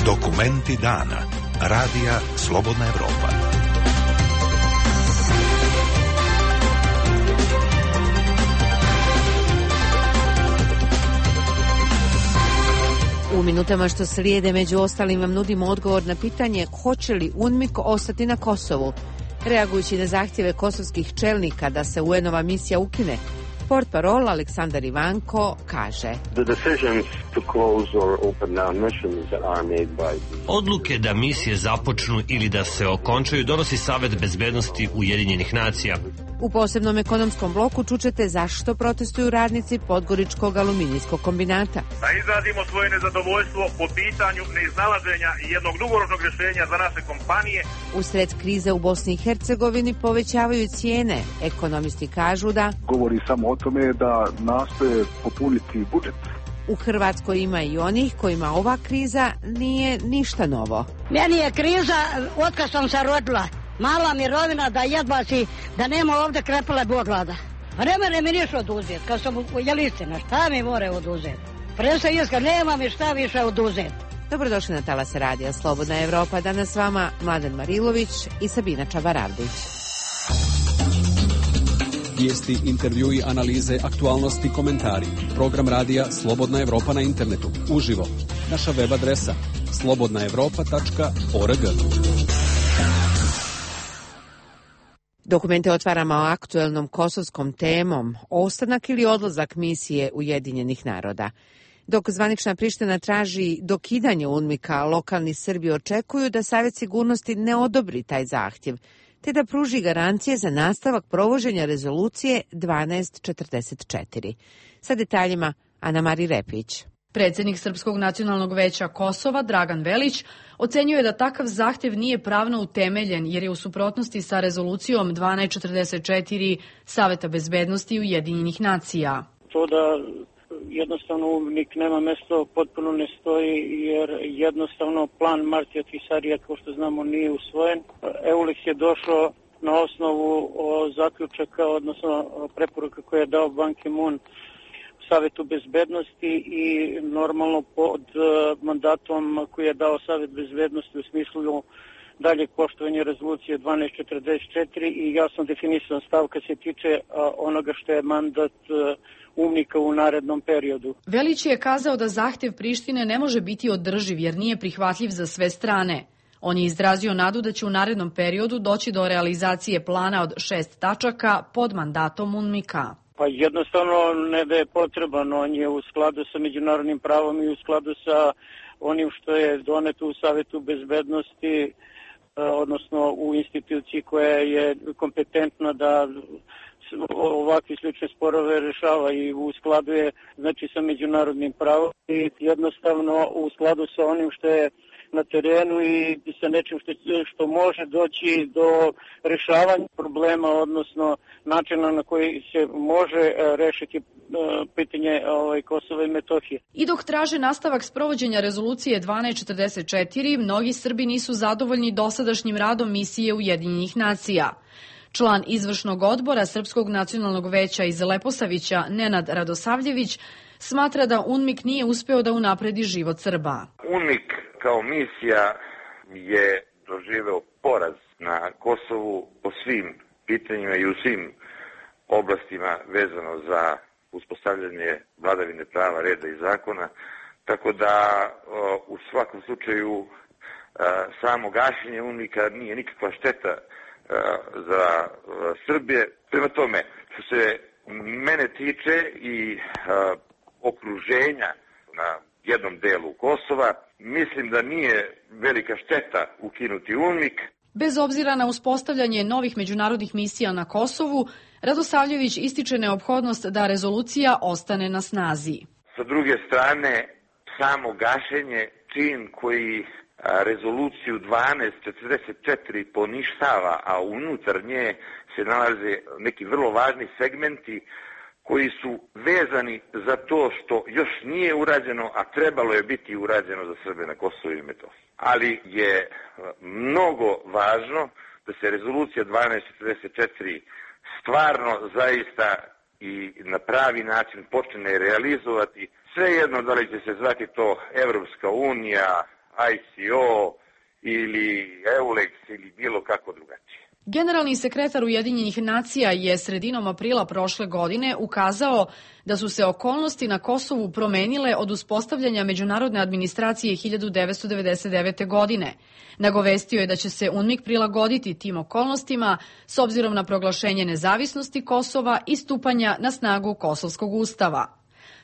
Dokumenti dana. Radija Slobodna Evropa. U minutama što slijede, među ostalim, vam nudimo odgovor na pitanje hoće li UNMIK ostati na Kosovu. Reagujući na zahtjeve kosovskih čelnika da se U N-ova misija ukine, portparol Aleksandar Ivanko kaže: Odluke da misije započnu ili da se okončaju donosi Savet bezbednosti Ujedinjenih nacija. U posebnom ekonomskom bloku čućete zašto protestuju radnici Podgoričkog aluminijskog kombinata. Da izrazimo svoje nezadovoljstvo po pitanju neiznalaženja jednog dugoročnog rješenja za naše kompanije. Usred krize u Bosni i Hercegovini povećavaju cijene. Ekonomisti kažu da govori samo o tome da nastoje popuniti budžet. U Hrvatskoj ima i onih kojima ova kriza nije ništa novo. Meni je kriza otkad sam se rodila. Mala mirovina da jedva si, da nema ovdje krepale boglada. A ne mere mi ništa oduzeti. Kad sam u Jelistina, šta mi more oduzeti? Presa iska, nema mi šta više oduzeti. Dobrodošli na Talas Radija Slobodna Evropa. Danas s vama Mladen Marilović i Sabina Čabaravdić. Vijesti, intervjui, analize, aktualnosti, komentari. Program radija Slobodna Evropa na internetu. Uživo. Naša web adresa slobodna evropa tačka org. Dokumente otvaramo o aktuelnom kosovskom temom, ostanak ili odlazak misije Ujedinjenih naroda. Dok zvanična Priština traži dokidanje UNMIK-a, lokalni Srbi očekuju da Savjet sigurnosti ne odobri taj zahtjev, te da pruži garancije za nastavak provođenja rezolucije dvanaest četrdeset četiri. Sa detaljima Ana Mari Repić. Predsjednik Srpskog nacionalnog veća Kosova, Dragan Velić, ocenjuje da takav zahtjev nije pravno utemeljen jer je u suprotnosti sa rezolucijom dvanaest četrdeset četiri Saveta bezbednosti Ujedinjenih nacija. To da jednostavno UNMIK nema mesto potpuno ne stoji jer jednostavno plan Martija Tvisarija, kao što znamo, nije usvojen. EULEX je došao na osnovu zaključaka, odnosno preporuka koje je dao Ban Ki-moon Savetu bezbednosti i normalno pod mandatom koji je dao Savet bezbednosti u smislu dalje poštovanje rezolucije dvanaest četrdeset četiri i jasno definisan stav kad se tiče onoga što je mandat UNMIK-a u narednom periodu. Velić je kazao da zahtjev Prištine ne može biti održiv jer nije prihvatljiv za sve strane. On je izrazio nadu da će u narednom periodu doći do realizacije plana od šest tačaka pod mandatom UNMIK-a. Pa jednostavno ne da je potreban, on je u skladu sa međunarodnim pravom i u skladu sa onim što je doneto u Savetu bezbednosti, odnosno u instituciji koja je kompetentna da ovakve slične sporove rešava i u skladu je znači sa međunarodnim pravom i jednostavno u skladu sa onim što je na terenu i sa nečim što, što može doći do rešavanja problema, odnosno načina na koji se može rešiti pitanje ovaj, Kosova i Metohije. I dok traže nastavak sprovođenja rezolucije dvanaest četrdeset četiri, mnogi Srbi nisu zadovoljni dosadašnjim radom misije Ujedinjenih nacija. Član izvršnog odbora Srpskog nacionalnog veća iz Leposavića, Nenad Radosavljević, smatra da UNMIK nije uspeo da unapredi život Srba. UNMIK kao misija je doživeo poraz na Kosovu po svim pitanjima i u svim oblastima vezano za uspostavljanje vladavine prava, reda i zakona, tako da u svakom slučaju samo gašenje UNMIK-a nije nikakva šteta za Srbije. Prema tome, što se mene tiče i okruženja na jednom delu Kosova, mislim da nije velika šteta ukinuti UNMIK. Bez obzira na uspostavljanje novih međunarodnih misija na Kosovu, Radosavljević ističe neophodnost da rezolucija ostane na snazi. Sa druge strane, samo gašenje čin koji rezoluciju dvanaest četrdeset četiri poništava, a unutar nje se nalaze neki vrlo važni segmenti koji su vezani za to što još nije urađeno, a trebalo je biti urađeno za Srbe na Kosovu i Metohiji. Ali je mnogo važno da se rezolucija dvanaest četrdeset četiri stvarno zaista i na pravi način počne realizovati. Svejedno da li će se zvati to Evropska unija, I C O ili EULEX ili bilo kako drugačije. Generalni sekretar Ujedinjenih nacija je sredinom aprila prošle godine ukazao da su se okolnosti na Kosovu promenile od uspostavljanja međunarodne administracije hiljadu devetsto devedeset devete. godine. Nagovestio je da će se UNMIK prilagoditi tim okolnostima s obzirom na proglašenje nezavisnosti Kosova i stupanja na snagu Kosovskog ustava.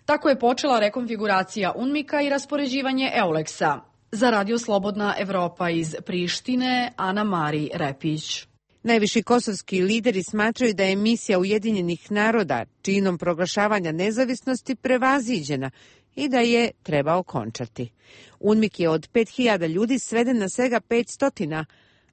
Tako je počela rekonfiguracija UNMIK-a i raspoređivanje EULEX-a. Za Radio Slobodna Evropa iz Prištine, Ana Mari Repić. Najviši kosovski lideri smatraju da je misija Ujedinjenih naroda činom proglašavanja nezavisnosti prevaziđena i da je treba okončati. UNMIK je od pet hiljada ljudi sveden na svega petsto,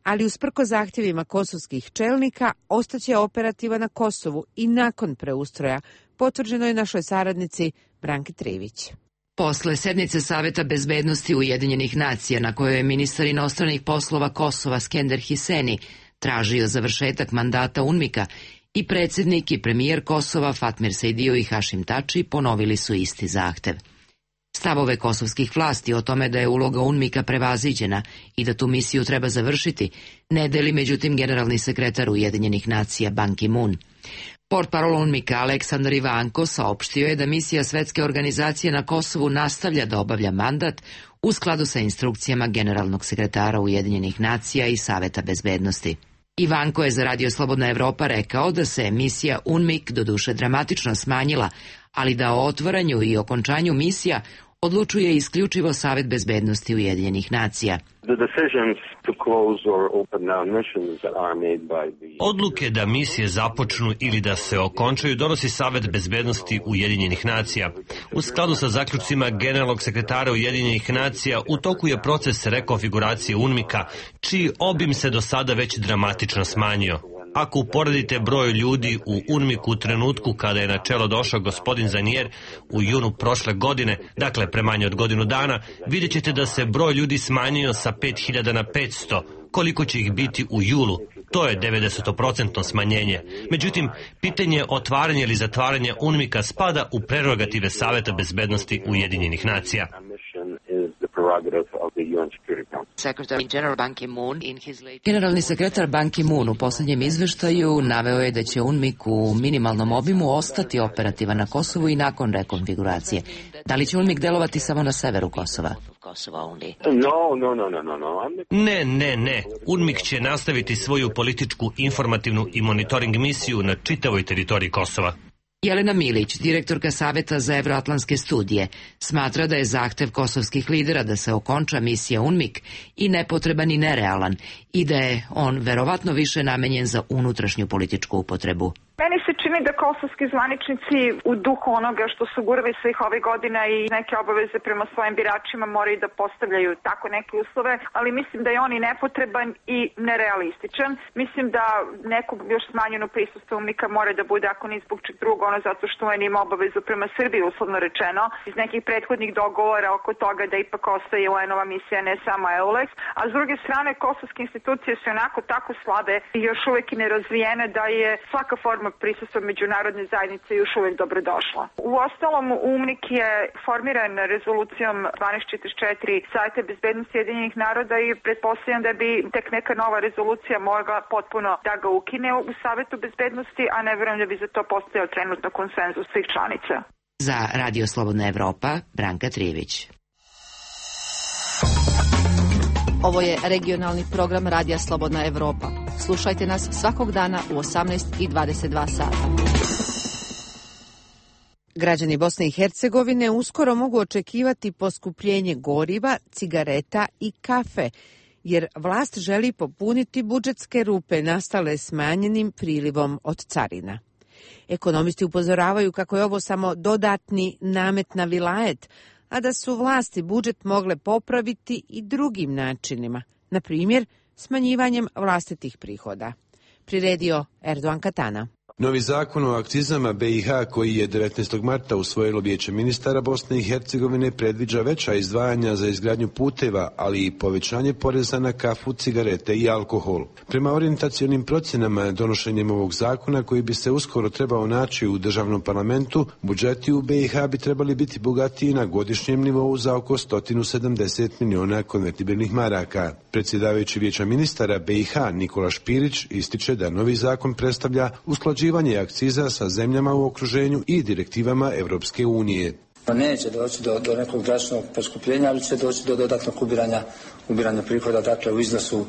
ali usprko zahtjevima kosovskih čelnika ostaće operativan na Kosovu i nakon preustroja, potvrđeno je našoj saradnici Branki Trivić. Posle sednice Saveta bezbednosti Ujedinjenih nacija na kojoj je ministar inostranih poslova Kosova Skender Hiseni tražio završetak mandata UNMIK-a i predsjednik i premijer Kosova Fatmir Sejdijo i Hašim Tači ponovili su isti zahtev. Stavove kosovskih vlasti o tome da je uloga UNMIK-a prevaziđena i da tu misiju treba završiti ne deli međutim generalni sekretar Ujedinjenih nacija Ban Ki-moon. Portparol UNMIK-a Aleksandar Ivanko saopštio je da misija Svetske organizacije na Kosovu nastavlja da obavlja mandat u skladu sa instrukcijama generalnog sekretara Ujedinjenih nacija i Saveta bezbednosti. Ivanko je za Radio Slobodna Evropa rekao da se misija UNMIK doduše dramatično smanjila, ali da o otvaranju i okončanju misija odlučuje isključivo Savet bezbednosti Ujedinjenih nacija. Odluke da misije započnu ili da se okončaju donosi Savet bezbednosti Ujedinjenih nacija. U skladu sa zaključcima generalnog sekretara Ujedinjenih nacija u toku je proces rekonfiguracije UNMIK-a, čiji obim se do sada već dramatično smanjio. Ako uporedite broj ljudi u UNMIK-u u trenutku kada je na čelo došao gospodin Zanier u junu prošle godine, dakle pre manje od godinu dana, vidjet ćete da se broj ljudi smanjio sa pet hiljada na petsto. Koliko će ih biti u julu? To je devedeset posto smanjenje. Međutim, pitanje otvaranja ili zatvaranja UNMIK-a spada u prerogative Saveta bezbednosti Ujedinjenih nacija. Generalni sekretar Ban Ki-moon u posljednjem izveštaju naveo je da će UNMIK u minimalnom obimu ostati operativan na Kosovu i nakon rekonfiguracije. Da li će UNMIK delovati samo na severu Kosova? Ne, ne, ne. UNMIK će nastaviti svoju političku, informativnu i monitoring misiju na čitavoj teritoriji Kosova. Jelena Milić, direktorka Saveta za evroatlantske studije, smatra da je zahtev kosovskih lidera da se okonča misija UNMIK i nepotreban i nerealan i da je on verovatno više namenjen za unutrašnju političku upotrebu. Meni se čini da kosovski zvaničnici u duhu onoga što su gurali svih ovih godina i neke obaveze prema svojim biračima moraju da postavljaju tako neke uslove, ali mislim da je on i nepotreban i nerealističan. Mislim da neko još smanjeno prisustvo UNMIK-a mora da bude, ako ni zbog čeg drugo, ono zato što on ima obavezu prema Srbiji, uslovno rečeno, iz nekih prethodnih dogovora oko toga da ipak ostaje U N-ova misija, ne samo EULEX, a s druge strane kosovske institucije su onako tako slabe i još uvek i nerazvijene da je svaka forma prisustva međunarodne zajednice još uvek dobrodošla. U ostalom, UNMIK je formiran rezolucijom dvanaest četrdeset četiri Saveta bezbednosti Ujedinjenih naroda i pretpostavljam da bi tek neka nova rezolucija mogla potpuno da ga ukine u Savetu bezbednosti, a ne verujem da bi za to postojao trenutno konsenzus svih članica. Za Radio Slobodna Evropa, Branka Trivić. Ovo je regionalni program Radija Slobodna Evropa. Slušajte nas svakog dana u osamnaest i dvadeset dva sata. Građani Bosne i Hercegovine uskoro mogu očekivati poskupljenje goriva, cigareta i kafe, jer vlast želi popuniti budžetske rupe nastale smanjenim prilivom od carina. Ekonomisti upozoravaju kako je ovo samo dodatni namet na vilajet, a da su vlasti budžet mogle popraviti i drugim načinima, na primjer smanjivanjem vlastitih prihoda. Priredio Erdogan Katana. Novi zakon o akcizama B i H koji je devetnaestog marta usvojilo Vijeće ministara Bosne i Hercegovine predviđa veća izdvajanja za izgradnju puteva, ali i povećanje poreza na kafu, cigarete i alkohol. Prema orijentacionim procjenama, donošenjem ovog zakona koji bi se uskoro trebao naći u državnom parlamentu, budžeti u B i H bi trebali biti bogatiji na godišnjem nivou za oko sto sedamdeset miliona konvertibilnih maraka. Predsjedavajući Vijeća ministara B i H Nikola Špirić ističe da novi zakon predstavlja usklađivanje akciza sa zemljama u okruženju i direktivama Europske unije. Neće doći do, do nekog drastičnog poskupljenja, ali će doći do dodatnog ubiranja, ubiranja prihoda, dakle u iznosu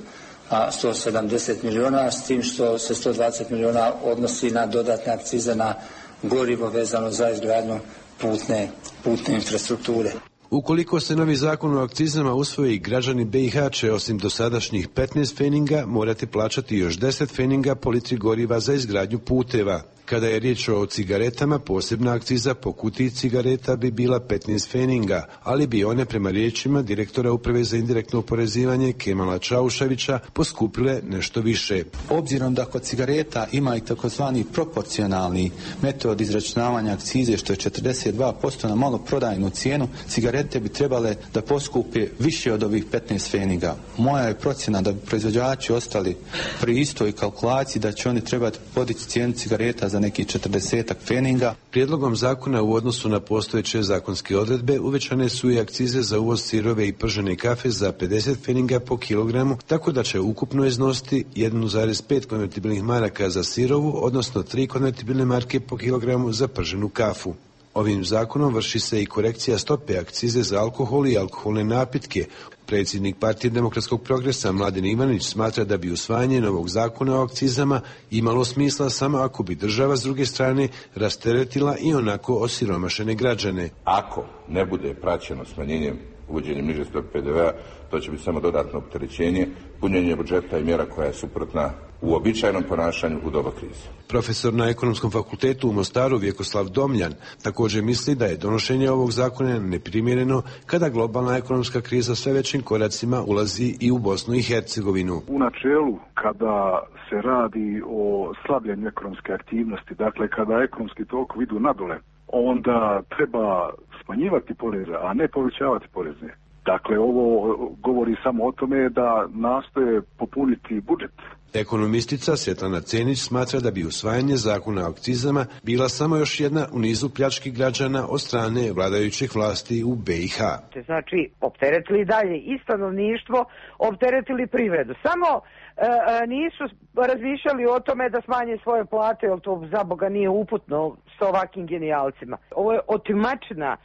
a, sto sedamdeset miliona, s tim što se sto dvadeset miliona odnosi na dodatne akcize na gorivo vezano za izgradnju putne, putne infrastrukture. Ukoliko se novi zakon o akcizama usvoji, građani B i H će osim dosadašnjih petnaest feninga morati plaćati još deset feninga po litri goriva za izgradnju puteva. Kada je riječ o cigaretama, posebna akciza po kutiji cigareta bi bila petnaest feninga, ali bi one prema riječima direktora Uprave za indirektno oporezivanje Kemala Čauševića poskupile nešto više. Obzirom da kod cigareta ima i takozvani proporcionalni metod izračunavanja akcize, što je četrdeset dva posto na maloprodajnu cijenu, cigarete bi trebale da poskupe više od ovih petnaest feninga. Moja je procjena da bi proizvođači ostali pri istoj kalkulaciji, da će oni trebati podići cijenu cigareta za neki četrdesetak feninga. Prijedlogom zakona u odnosu na postojeće zakonske odredbe uvećane su i akcize za uvoz sirove i pržene kafe za pedeset feninga po kilogramu, tako da će ukupno iznositi jedan zarez pet konvertibilnih maraka za sirovu, odnosno tri konvertibilne marke po kilogramu za prženu kafu. Ovim zakonom vrši se i korekcija stope akcize za alkohol i alkoholne napitke. Predsjednik Partije demokratskog progresa Mladen Ivanić smatra da bi usvajanje novog zakona o akcizama imalo smisla samo ako bi država s druge strane rasteretila i onako osiromašene građane. Ako ne bude praćeno smanjenjem uvođenjem niže stope P D V-a, to će biti samo dodatno opterećenje, punjenje budžeta i mjera koja je suprotna uobičajenom ponašanju u doba krize. Profesor na Ekonomskom fakultetu u Mostaru Vjekoslav Domljan također misli da je donošenje ovog zakona neprimjereno kada globalna ekonomska kriza sve većim koracima ulazi i u Bosnu i Hercegovinu. U načelu, kada se radi o slabljenju ekonomske aktivnosti, dakle kada ekonomski tokovi idu nadole, onda treba smanjivati poreze, a ne povećavati poreze. Dakle, ovo govori samo o tome da nastoje popuniti budžet. Ekonomistica Svetlana Cenić smatra da bi usvajanje zakona o akcizama bila samo još jedna u nizu pljački građana od strane vladajućih vlasti u B i H. Znači, opteretili dalje i stanovništvo, opteretili privredu. Samo e, nisu razmišljali o tome da smanje svoje plate, jer to za Boga nije uputno s ovakvim genijalcima. Ovo je otimačina.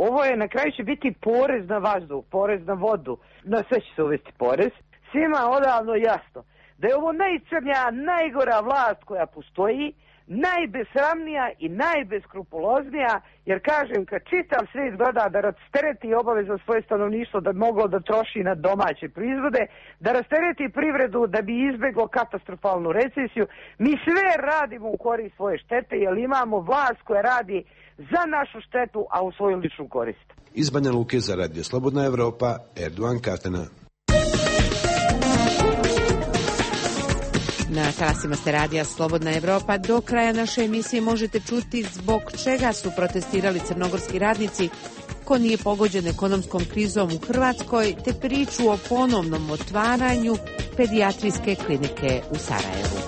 Ovo je, na kraju će biti porez na vazduh, porez na vodu, na sve će se uvesti porez. Svima odavno jasno da je ovo najcrnja, najgora vlast koja postoji, najbesramnija i najbeskrupuloznija, jer kažem, kad čitav svijet gleda da rastereti obaveza svoje stanovništvo da bi moglo da troši na domaće proizvode, da rastereti privredu da bi izbjeglo katastrofalnu recesiju, mi sve radimo u korist svoje štete, jer imamo vlast koja radi za našu štetu, a u svoju ličnu korist. Iz Banja Luke za Radio Slobodna Evropa, Erdogan Katena. Na talasima ste Radija Slobodna Evropa. Do kraja naše emisije možete čuti zbog čega su protestirali crnogorski radnici, ko nije pogođen ekonomskom krizom u Hrvatskoj, te priču o ponovnom otvaranju pedijatrijske klinike u Sarajevu.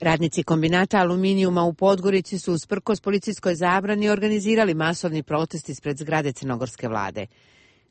Radnici kombinata aluminijuma u Podgorici su usprkos policijskoj zabrani organizirali masovni protest ispred zgrade crnogorske vlade.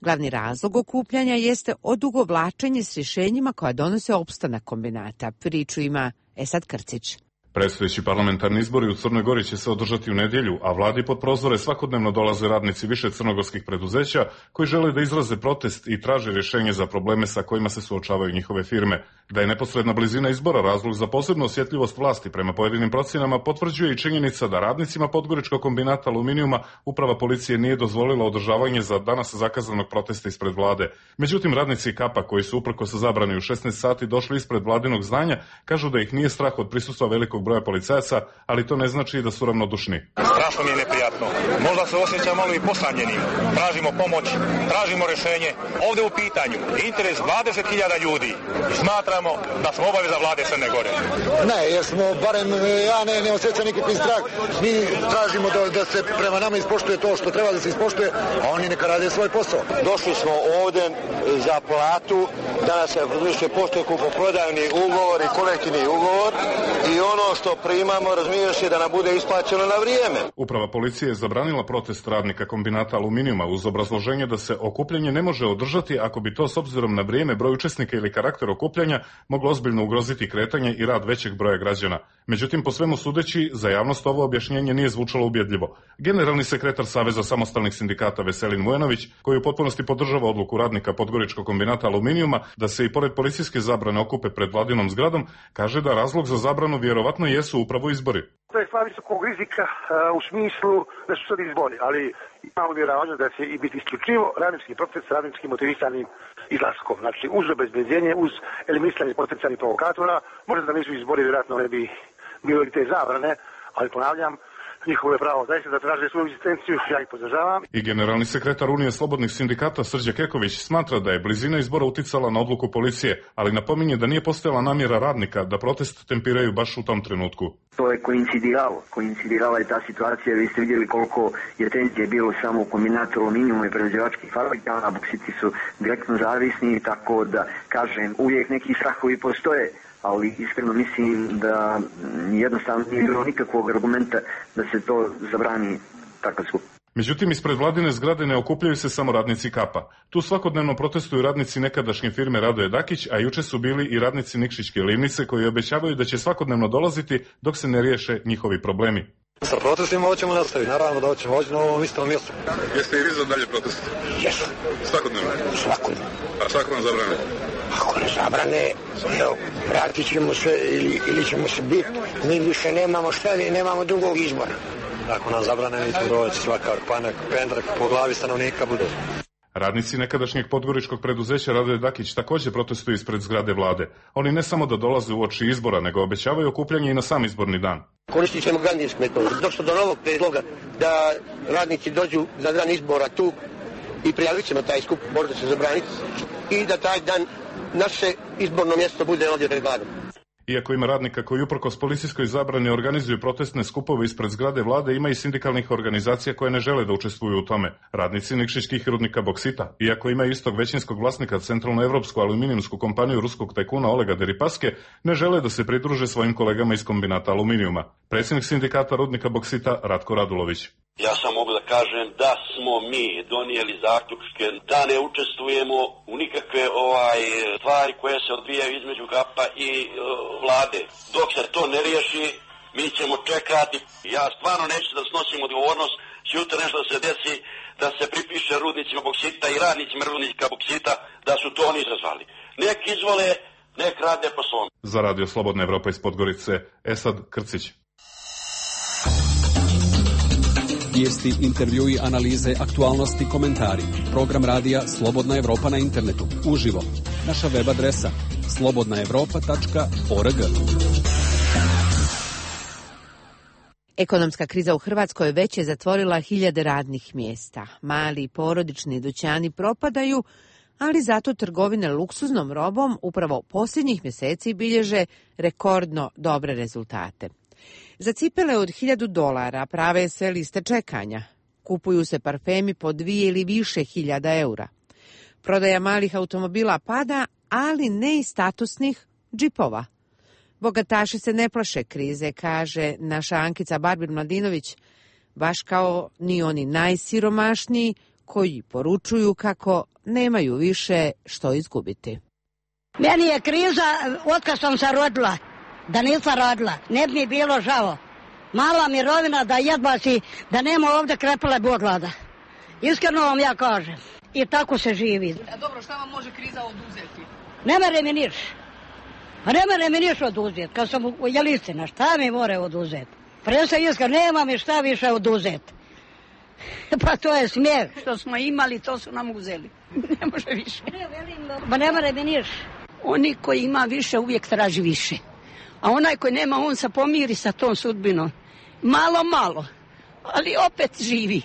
Glavni razlog okupljanja jeste odugovlačenje s rješenjima koja donose opstanak kombinata. Priču ima Esad Krcić. Predstojeći parlamentarni izbori u Crnoj Gori će se održati u nedjelju, a vladi pod prozore svakodnevno dolaze radnici više crnogorskih preduzeća koji žele da izraze protest i traže rješenje za probleme sa kojima se suočavaju njihove firme. Da je neposredna blizina izbora razlog za posebnu osjetljivost vlasti prema pojedinim procjenama potvrđuje i činjenica da radnicima Podgoričkog kombinata aluminijuma uprava policije nije dozvolila održavanje za danas zakazanog protesta ispred vlade. Međutim, radnici Kapa koji su uprkos zabrani u šesnaest sati došli ispred vladinog zdanja kažu da ih nije strah od prisustva velikog broja policajaca, ali to ne znači da su ravnodušni. Strašno mi je neprijatno. Možda se osjećam malo i posamljenim. Tražimo pomoć, tražimo rješenje. Ovdje u pitanju interes dvadeset hiljada ljudi. Smatramo da smo obaveza vlade Crne Gore. Ne, jer smo, barem ja ne, ne osjećam nikakvi strah. Mi tražimo da, da se prema nama ispoštuje to što treba da se ispoštuje, a oni neka rade svoj posao. Došli smo ovdje za platu, danas se vrši postoje kupoprodajni ugovor i kolektivni ugovor i ono što primamo razmišlja se da nam bude isplaćeno na vrijeme. Uprava policije je zabranila protest radnika kombinata aluminijuma uz obrazloženje da se okupljanje ne može održati ako bi to s obzirom na vrijeme, broj učesnika ili karakter okupljanja moglo ozbiljno ugroziti kretanje i rad većeg broja građana. Međutim, po svemu sudeći, za javnost ovo objašnjenje nije zvučalo ubjedljivo. Generalni sekretar Saveza samostalnih sindikata Veselin Mujanović, koji u potpunosti podržava odluku radnika Podgoričkog kombinata aluminijuma da se i pored policijske zabrane okupe pred vladinom zgradom, kaže da razlog za zabranu vjerovatno jesu upravo izbori. To je stvar visokog rizika uh, u smislu da su sad izbori, ali imamo vjerovanje da će i biti isključivo radnički proces s radničkim motivisanim izlaskom. Znači, uz obezbeđenje, uz eliminisanje potencijalnih provokatora, možda da nisu izbori, vjerojatno ne bi bilo i te zabrane, ali ponavljam, njihovo je pravo zaista da traže svoju egzistenciju, ja ih podržavam. I generalni sekretar Unije slobodnih sindikata Srđe Keković smatra da je blizina izbora uticala na odluku policije, ali napominje da nije postojala namjera radnika da protest tempiraju baš u tom trenutku. To je koincidiralo, koincidirala je ta situacija, vi ste vidjeli koliko je tenzije bilo samo u kombinatu aluminijuma i prerađivačkih fabrika, a boksiti su direktno zavisni, tako da, kažem, uvijek neki strahovi postoje, ali iskreno mislim da jednostavno nije bilo nikakvog argumenta da se to zabrani takav skup. Međutim, ispred vladine zgrade ne okupljaju se samo radnici Kapa. Tu svakodnevno protestuju radnici nekadašnje firme Radoje Dakić, a juče su bili i radnici Nikšićke livnice koji obećavaju da će svakodnevno dolaziti dok se ne riješe njihovi problemi. Sa protestima hoćemo nastaviti, naravno da hoćemo hoći na ovom istom mjestu. Jeste i vi za dalje protest? Jesu. Svakodnevno? Svakodnevno. A svako nam zabrane? Ako ne zabrane, evo, vratit ćemo se ili, ili ćemo se biti. Mi više nemamo šta, nemamo drugog izbora. Ako nam zabrane, mi ćemo doći svakav panak, pendrak po glavi stanovnika bude. Radnici nekadašnjeg podgoričkog preduzeća Radoje Dakić također protestuju ispred zgrade vlade. Oni ne samo da dolaze uoči izbora, nego obećavaju okupljanje i na sam izborni dan. Koristit ćemo gandijsku metodu. Došlo do novog predloga da radnici dođu za dan izbora tu i prijavit ćemo taj skup, možda se zabraniti, i da taj dan naše izborno mjesto bude ovdje pred vladom. Iako ima radnika koji uprkos policijskoj zabrani organizuju protestne skupove ispred zgrade vlade, ima i sindikalnih organizacija koje ne žele da učestvuju u tome. Radnici nikšićkih rudnika boksita, iako ima istog većinskog vlasnika centralnoevropsku aluminijumsku kompaniju ruskog tajkuna Olega Deripaske, ne žele da se pridruže svojim kolegama iz kombinata aluminijuma. Predsjednik sindikata rudnika boksita Ratko Radulović. Ja sam mogu da kažem da smo mi donijeli zaključke da ne učestvujemo u nikakve ovaj stvari koje se odvijaju između Kapa i uh, vlade. Dok se to ne riješi, mi ćemo čekati. Ja stvarno neću da snosim odgovornost sutra nešto da se desi, da se pripiše rudnicima boksita i radnicima rudnika boksita da su to oni izazvali. Nek izvole, nek rade po svom. Za Radio Slobodna Evropa iz Podgorice, Esad Krcić. Vijesti, intervjui, analize, aktualnosti, komentari. Program radija Slobodna Evropa na internetu. Uživo. Naša web adresa slobodna evropa tačka org. Ekonomska kriza u Hrvatskoj već je zatvorila hiljade radnih mjesta. Mali porodični dućani propadaju, ali zato trgovine luksuznom robom upravo posljednjih mjeseci bilježe rekordno dobre rezultate. Za cipele od hiljadu dolara prave se liste čekanja. Kupuju se parfemi po dvije ili više hiljada eura. Prodaja malih automobila pada, ali ne i statusnih džipova. Bogataši se ne plaše krize, kaže naša Ankica Barbir-Mladinović, baš kao ni oni najsiromašniji koji poručuju kako nemaju više što izgubiti. Meni je kriza otkad sam se rodila. Da nisam radila, ne bi mi bilo žao. Mala mirovina da jedva si, da nema ovdje krepale boglada. Iskreno vam ja kažem. I tako se živi. A dobro, šta vam može kriza oduzeti? Ne mere mi niš. Ne mere mi niš oduzeti. Kad sam u Jelistina, šta mi more oduzeti? Presa iskreno, nema mi šta više oduzeti. Pa to je smijeh. Što smo imali, to su nam uzeli. Ne može više. Pa ne mere mi niš. Oni koji ima više uvijek traži više. A onaj koji nema, on se pomiri sa tom sudbinom. Malo, malo, ali opet živi.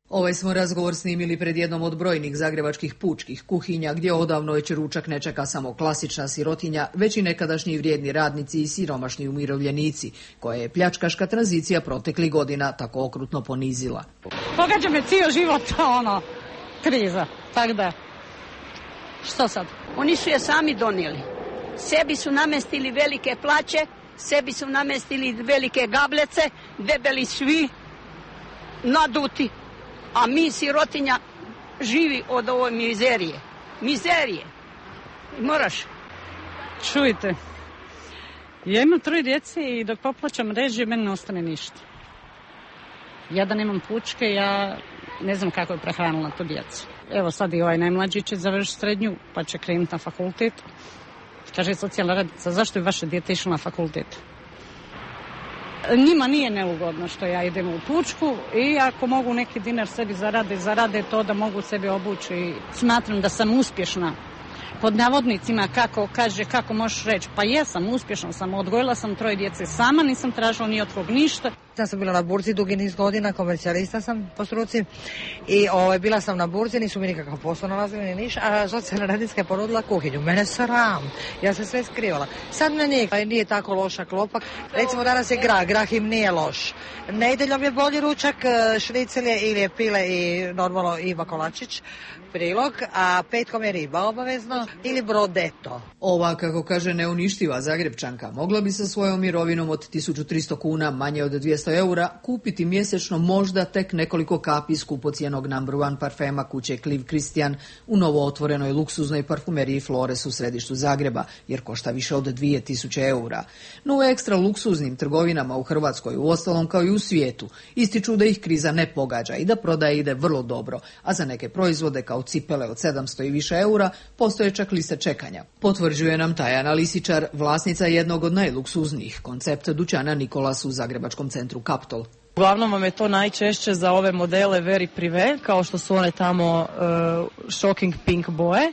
Ovaj smo razgovor snimili pred jednom od brojnih zagrebačkih pučkih kuhinja, gdje odavno već ručak ne čeka samo klasična sirotinja, već i nekadašnji vrijedni radnici i siromašni umirovljenici, koje je pljačkaška tranzicija proteklih godina tako okrutno ponizila. Pogađa me cijel život, ono, kriza, tako da, što sad? Oni su je sami donijeli. Sebi su namestili velike plaće, sebi su namestili velike gablece, debeli svi, naduti. A mi, sirotinja, živi od ove mizerije. Mizerije. Moraš. Čujte, ja imam troje djece i dok poplaćam režije, meni ne ostane ništa. Ja da nemam pučke, ja ne znam kako je prehranila tu djecu. Evo sad i ovaj najmlađi će završiti srednju, pa će krenuti na fakultet. Kaže socijalna radnica, zašto je vaše dijete išlo na fakultet? Njima nije neugodno što ja idem u pučku i ako mogu neki dinar sebi zarade, zarade to da mogu sebi obući. Smatram da sam uspješna. Pod navodnicima, kako kaže, kako možeš reći, pa jesam, uspješna sam, odgojila sam troje djece sama, nisam tražila ni od kog ništa. Ja sam bila na burzi dugi niz godina, komercijalista sam po struci i ovaj, bila sam na burzi, nisu mi nikakav posao nalazili ni niš, a socijalna radnicka je ponudila kuhinju. Mene sram, ja se sve skrivala. Sad na nije, nije tako loša klopa. Recimo danas je grah, grah im nije loš. Nedjeljom je bolji ručak, šnicelje ili je pile i normalno Iva Kolačić, prilog, a petkom je riba obavezno ili brodeto. Ova, kako kaže neuništiva Zagrebčanka, mogla bi sa svojom mirovinom od tisuću tristo kuna, manje od dvjesto eura, kupiti mjesečno možda tek nekoliko kapi skupocijenog number one parfema kuće Kliv Kristijan u novo otvorenoj luksuznoj parfumeriji Flores u središtu Zagreba, jer košta više od dvije tisuće eura. No u ekstra luksuznim trgovinama u Hrvatskoj, uostalom kao i u svijetu, ističu da ih kriza ne pogađa i da prodaja ide vrlo dobro, a za neke proizvode kao cipele od sedamsto i više eura postoje čak liste čekanja. Potvrđuje nam Tajana Lisičar, vlasnica jednog od najluksuznijih koncepta dućana Nikolas u zagrebačkom centru Kaptol. Uglavnom vam je to najčešće za ove modele very privé, kao što su one tamo uh, shocking pink boje.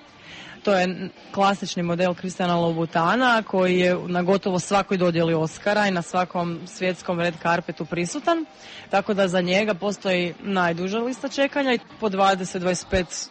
To je klasični model Christiana Louboutana koji je na gotovo svakoj dodjeli Oscara i na svakom svjetskom red carpetu prisutan. Tako da za njega postoji najduža lista čekanja i po dvadeset do dvadeset pet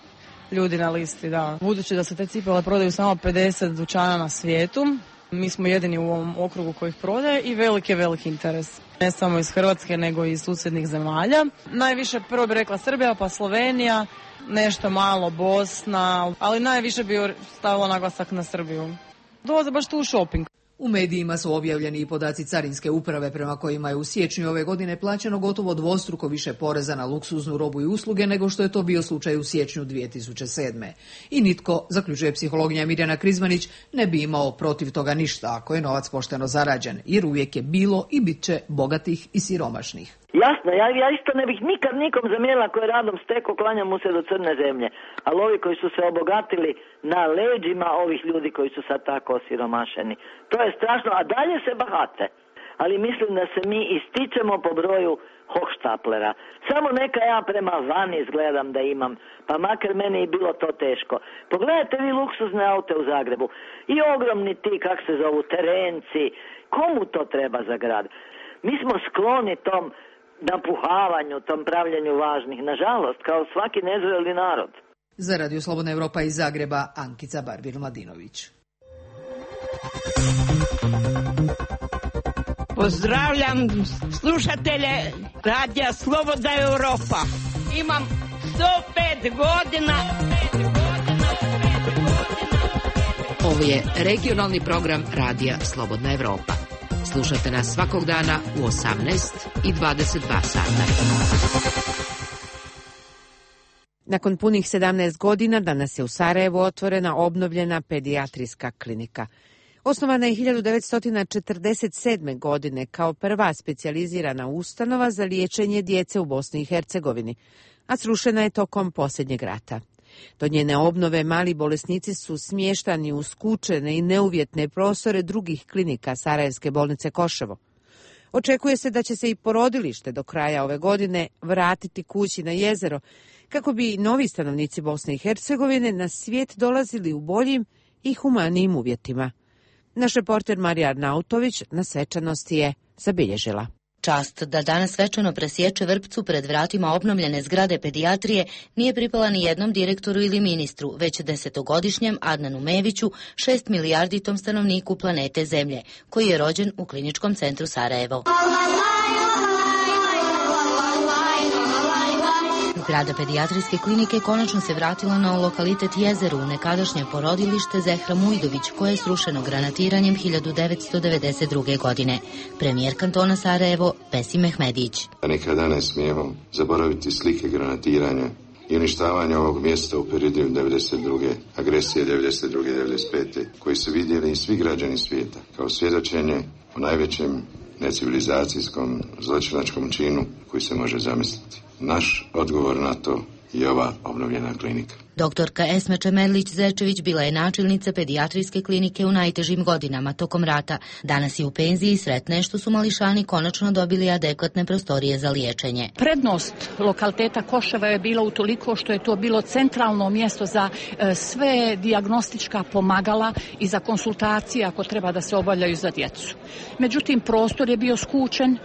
ljudi na listi, da. Budući da se te cipele prodaju samo pedeset dućana na svijetu, mi smo jedini u ovom okrugu koji ih prodaje i veliki, veliki interes. Ne samo iz Hrvatske, nego i iz susjednih zemalja. Najviše prvo bi rekla Srbija, pa Slovenija, nešto malo Bosna, ali najviše bi stavila naglasak na Srbiju. Dolaze baš tu u shopping. U medijima su objavljeni i podaci Carinske uprave prema kojima je u siječnju ove godine plaćeno gotovo dvostruko više poreza na luksuznu robu i usluge nego što je to bio slučaj u siječnju dvije tisuće sedme. I nitko, zaključuje psihologinja Mirjana Krizmanić, ne bi imao protiv toga ništa ako je novac pošteno zarađen, jer uvijek je bilo i bit će bogatih i siromašnih. Jasno, ja, ja isto ne bih nikad nikom zamjerila koji je radom steko, klanjam mu se do crne zemlje. Ali ovi koji su se obogatili na leđima ovih ljudi koji su sad tako osiromašeni, to je strašno, a dalje se bahate. Ali mislim da se mi ističemo po broju hohštaplera. Samo neka ja prema van izgledam da imam, pa makar meni i bilo to teško. Pogledajte vi luksuzne aute u Zagrebu i ogromni ti, kak se zovu, terenci. Komu to treba za grad? Mi smo skloni tom napuhavanju, tom pravljenju važnih, nažalost, kao svaki nezreli narod. Za Radio Slobodna Evropa iz Zagreba, Ankica Barbir-Mladinović. Pozdravljam slušatelje Radija Slobodna Evropa. Imam sto pet godina. Ovo je regionalni program Radija Slobodna Evropa. Slušate nas svakog dana u osamnaest i dvadeset dva sata. Nakon punih sedamnaest godina danas je u Sarajevu otvorena obnovljena pedijatrijska klinika. Osnovana je hiljadu devetsto četrdeset sedme. godine kao prva specijalizirana ustanova za liječenje djece u Bosni i Hercegovini, a srušena je tokom posljednjeg rata. Do njene obnove mali bolesnici su smještani u skučene i neuvjetne prostore drugih klinika Sarajevske bolnice Koševo. Očekuje se da će se i porodilište do kraja ove godine vratiti kući na jezero, kako bi novi stanovnici Bosne i Hercegovine na svijet dolazili u boljim i humanijim uvjetima. Naš reporter Marija Arnautović na svečanosti je zabilježila. Čast da danas svečano presječe vrpcu pred vratima obnovljene zgrade pedijatrije nije pripala ni jednom direktoru ili ministru, već desetogodišnjem Adnanu Meviću, šest milijarditom stanovniku planete Zemlje, koji je rođen u Kliničkom centru Sarajevo. Zgrada pedijatrijske klinike konačno se vratila na lokalitet Jezeru, u nekadašnje porodilište Zehra Mujdović, koje je srušeno granatiranjem hiljadu devetsto devedeset druge. godine. Premijer kantona Sarajevo, Besim Mehmedić. Nikada ne smijemo zaboraviti slike granatiranja i uništavanja ovog mjesta u periodu devedeset druge. agresije devedeset druge devedeset pete. koji su vidjeli i svi građani svijeta kao svjedočenje o najvećem necivilizacijskom zločinačkom činu koji se može zamisliti. Naš odgovor na to je ova obnovljena klinika. Doktorka Esme Čemerlić-Zečević bila je načelnica pedijatrijske klinike u najtežim godinama tokom rata. Danas je u penziji i sretna je što su mališani konačno dobili adekvatne prostorije za liječenje. Prednost lokaliteta Koševa je bila utoliko što je to bilo centralno mjesto za e, sve dijagnostička pomagala i za konsultacije ako treba da se obavljaju za djecu. Međutim, prostor je bio skučen.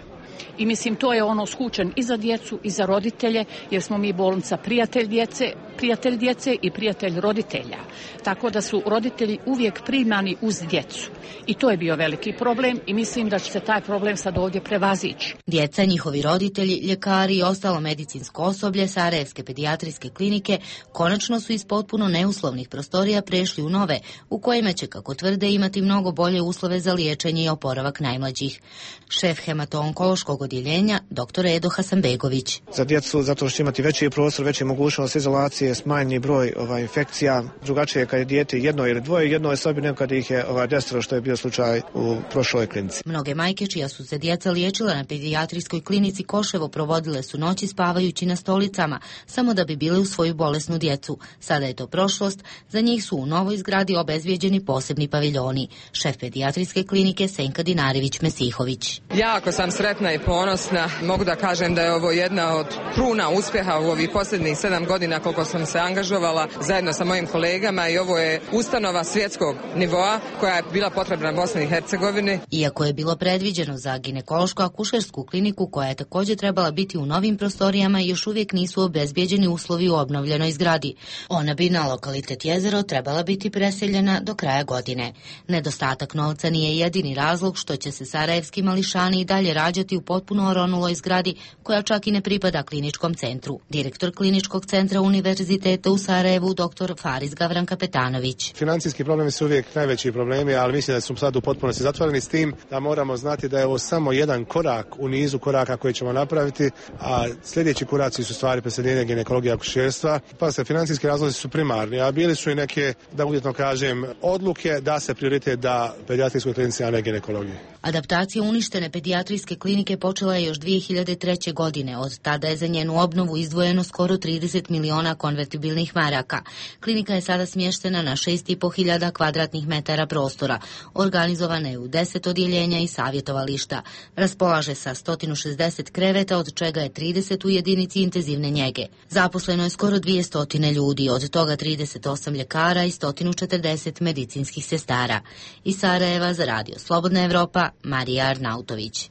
I mislim to je ono skučen i za djecu i za roditelje, jer smo mi bolnica prijatelj djece, prijatelj djece i prijatelj roditelja. Tako da su roditelji uvijek primani uz djecu. I to je bio veliki problem i mislim da će se taj problem sad ovdje prevazići. Djeca, njihovi roditelji, ljekari i ostalo medicinsko osoblje Sarajevske pedijatrijske klinike konačno su iz potpuno neuslovnih prostorija prešli u nove, u kojima će, kako tvrde, imati mnogo bolje uslove za liječenje i oporavak najmlađih. Šef hemato-onkološkog odjeljenja, doktor Edo Hasanbegović. Za djecu, zato što će imati veći prostor, veći mogućnost izolacije, smanjeni broj ovaj, infekcija. Drugačije je kad je dijete jedno ili dvoje, jedno je sobi nego kad ih je ovaj, desetoro, što je bio slučaj u prošloj klinici. Mnoge majke čija su se djeca liječila na pedijatrijskoj klinici Koševo provodile su noći spavajući na stolicama, samo da bi bile u svoju bolesnu djecu. Sada je to prošlost, za njih su u novoj zgradi obezvijeđeni posebni paviljoni. Šef pedijatrijske klinike Senka Dinarević-Mesihović. Jako sam sretna i ponosna. Mogu da kažem da je ovo jedna od kruna uspjeha u ovih posljednjih sedam godina koliko sam se angažovala zajedno sa mojim kolegama i ovo je ustanova svjetskog nivoa koja je bila potrebna Bosni i Hercegovini. Iako je bilo predviđeno za ginekološko-akušersku kliniku koja je također trebala biti u novim prostorijama, još uvijek nisu obezbijeđeni uslovi u obnovljenoj zgradi. Ona bi na lokalitet Jezero trebala biti preseljena do kraja godine. Nedostatak novca nije jedini razlog što će se sarajevski mališani i dalje rađati u potpuno oronuloj zgradi koja čak i ne pripada kliničkom centru. Direktor kliničkog centra Univerziteta u Sarajevu, doktor Faris Gavran Kapetanović. Financijski problemi su uvijek najveći problemi, ali mislim da su sad u potpunosti zatvoreni, s tim da moramo znati da je ovo samo jedan korak u nizu koraka koje ćemo napraviti, a sljedeći koraci su stvari preseljenja ginekologije i akušerstva. Pa se financijski razlozi su primarni, a bili su i neke, da uvjetno kažem, odluke da se prioritet da pedijatrijskoj klinici, a ne ginekologiji. Adaptacija uništene pedijatrijske klinike počela je još dvije hiljade treće. godine. Od tada je za njenu obnovu izdvojeno skoro trideset miliona konvertibilnih maraka. Klinika je sada smještena na šest i po hiljada kvadratnih metara prostora. Organizovana je u deset odjeljenja i savjetovališta. Raspolaže sa sto šezdeset kreveta, od čega je trideset u jedinici intenzivne njege. Zaposleno je skoro dvjesto ljudi, od toga trideset osam ljekara i sto četrdeset medicinskih sestara. Iz Sarajeva za radio Slobodna Evropa, Marija Arnautović.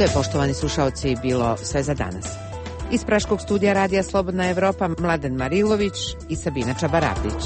To je, poštovani slušaoci, bilo sve za danas. Iz Praškog studija radija Slobodna Evropa Mladen Marilović i Sabina Čabarapić.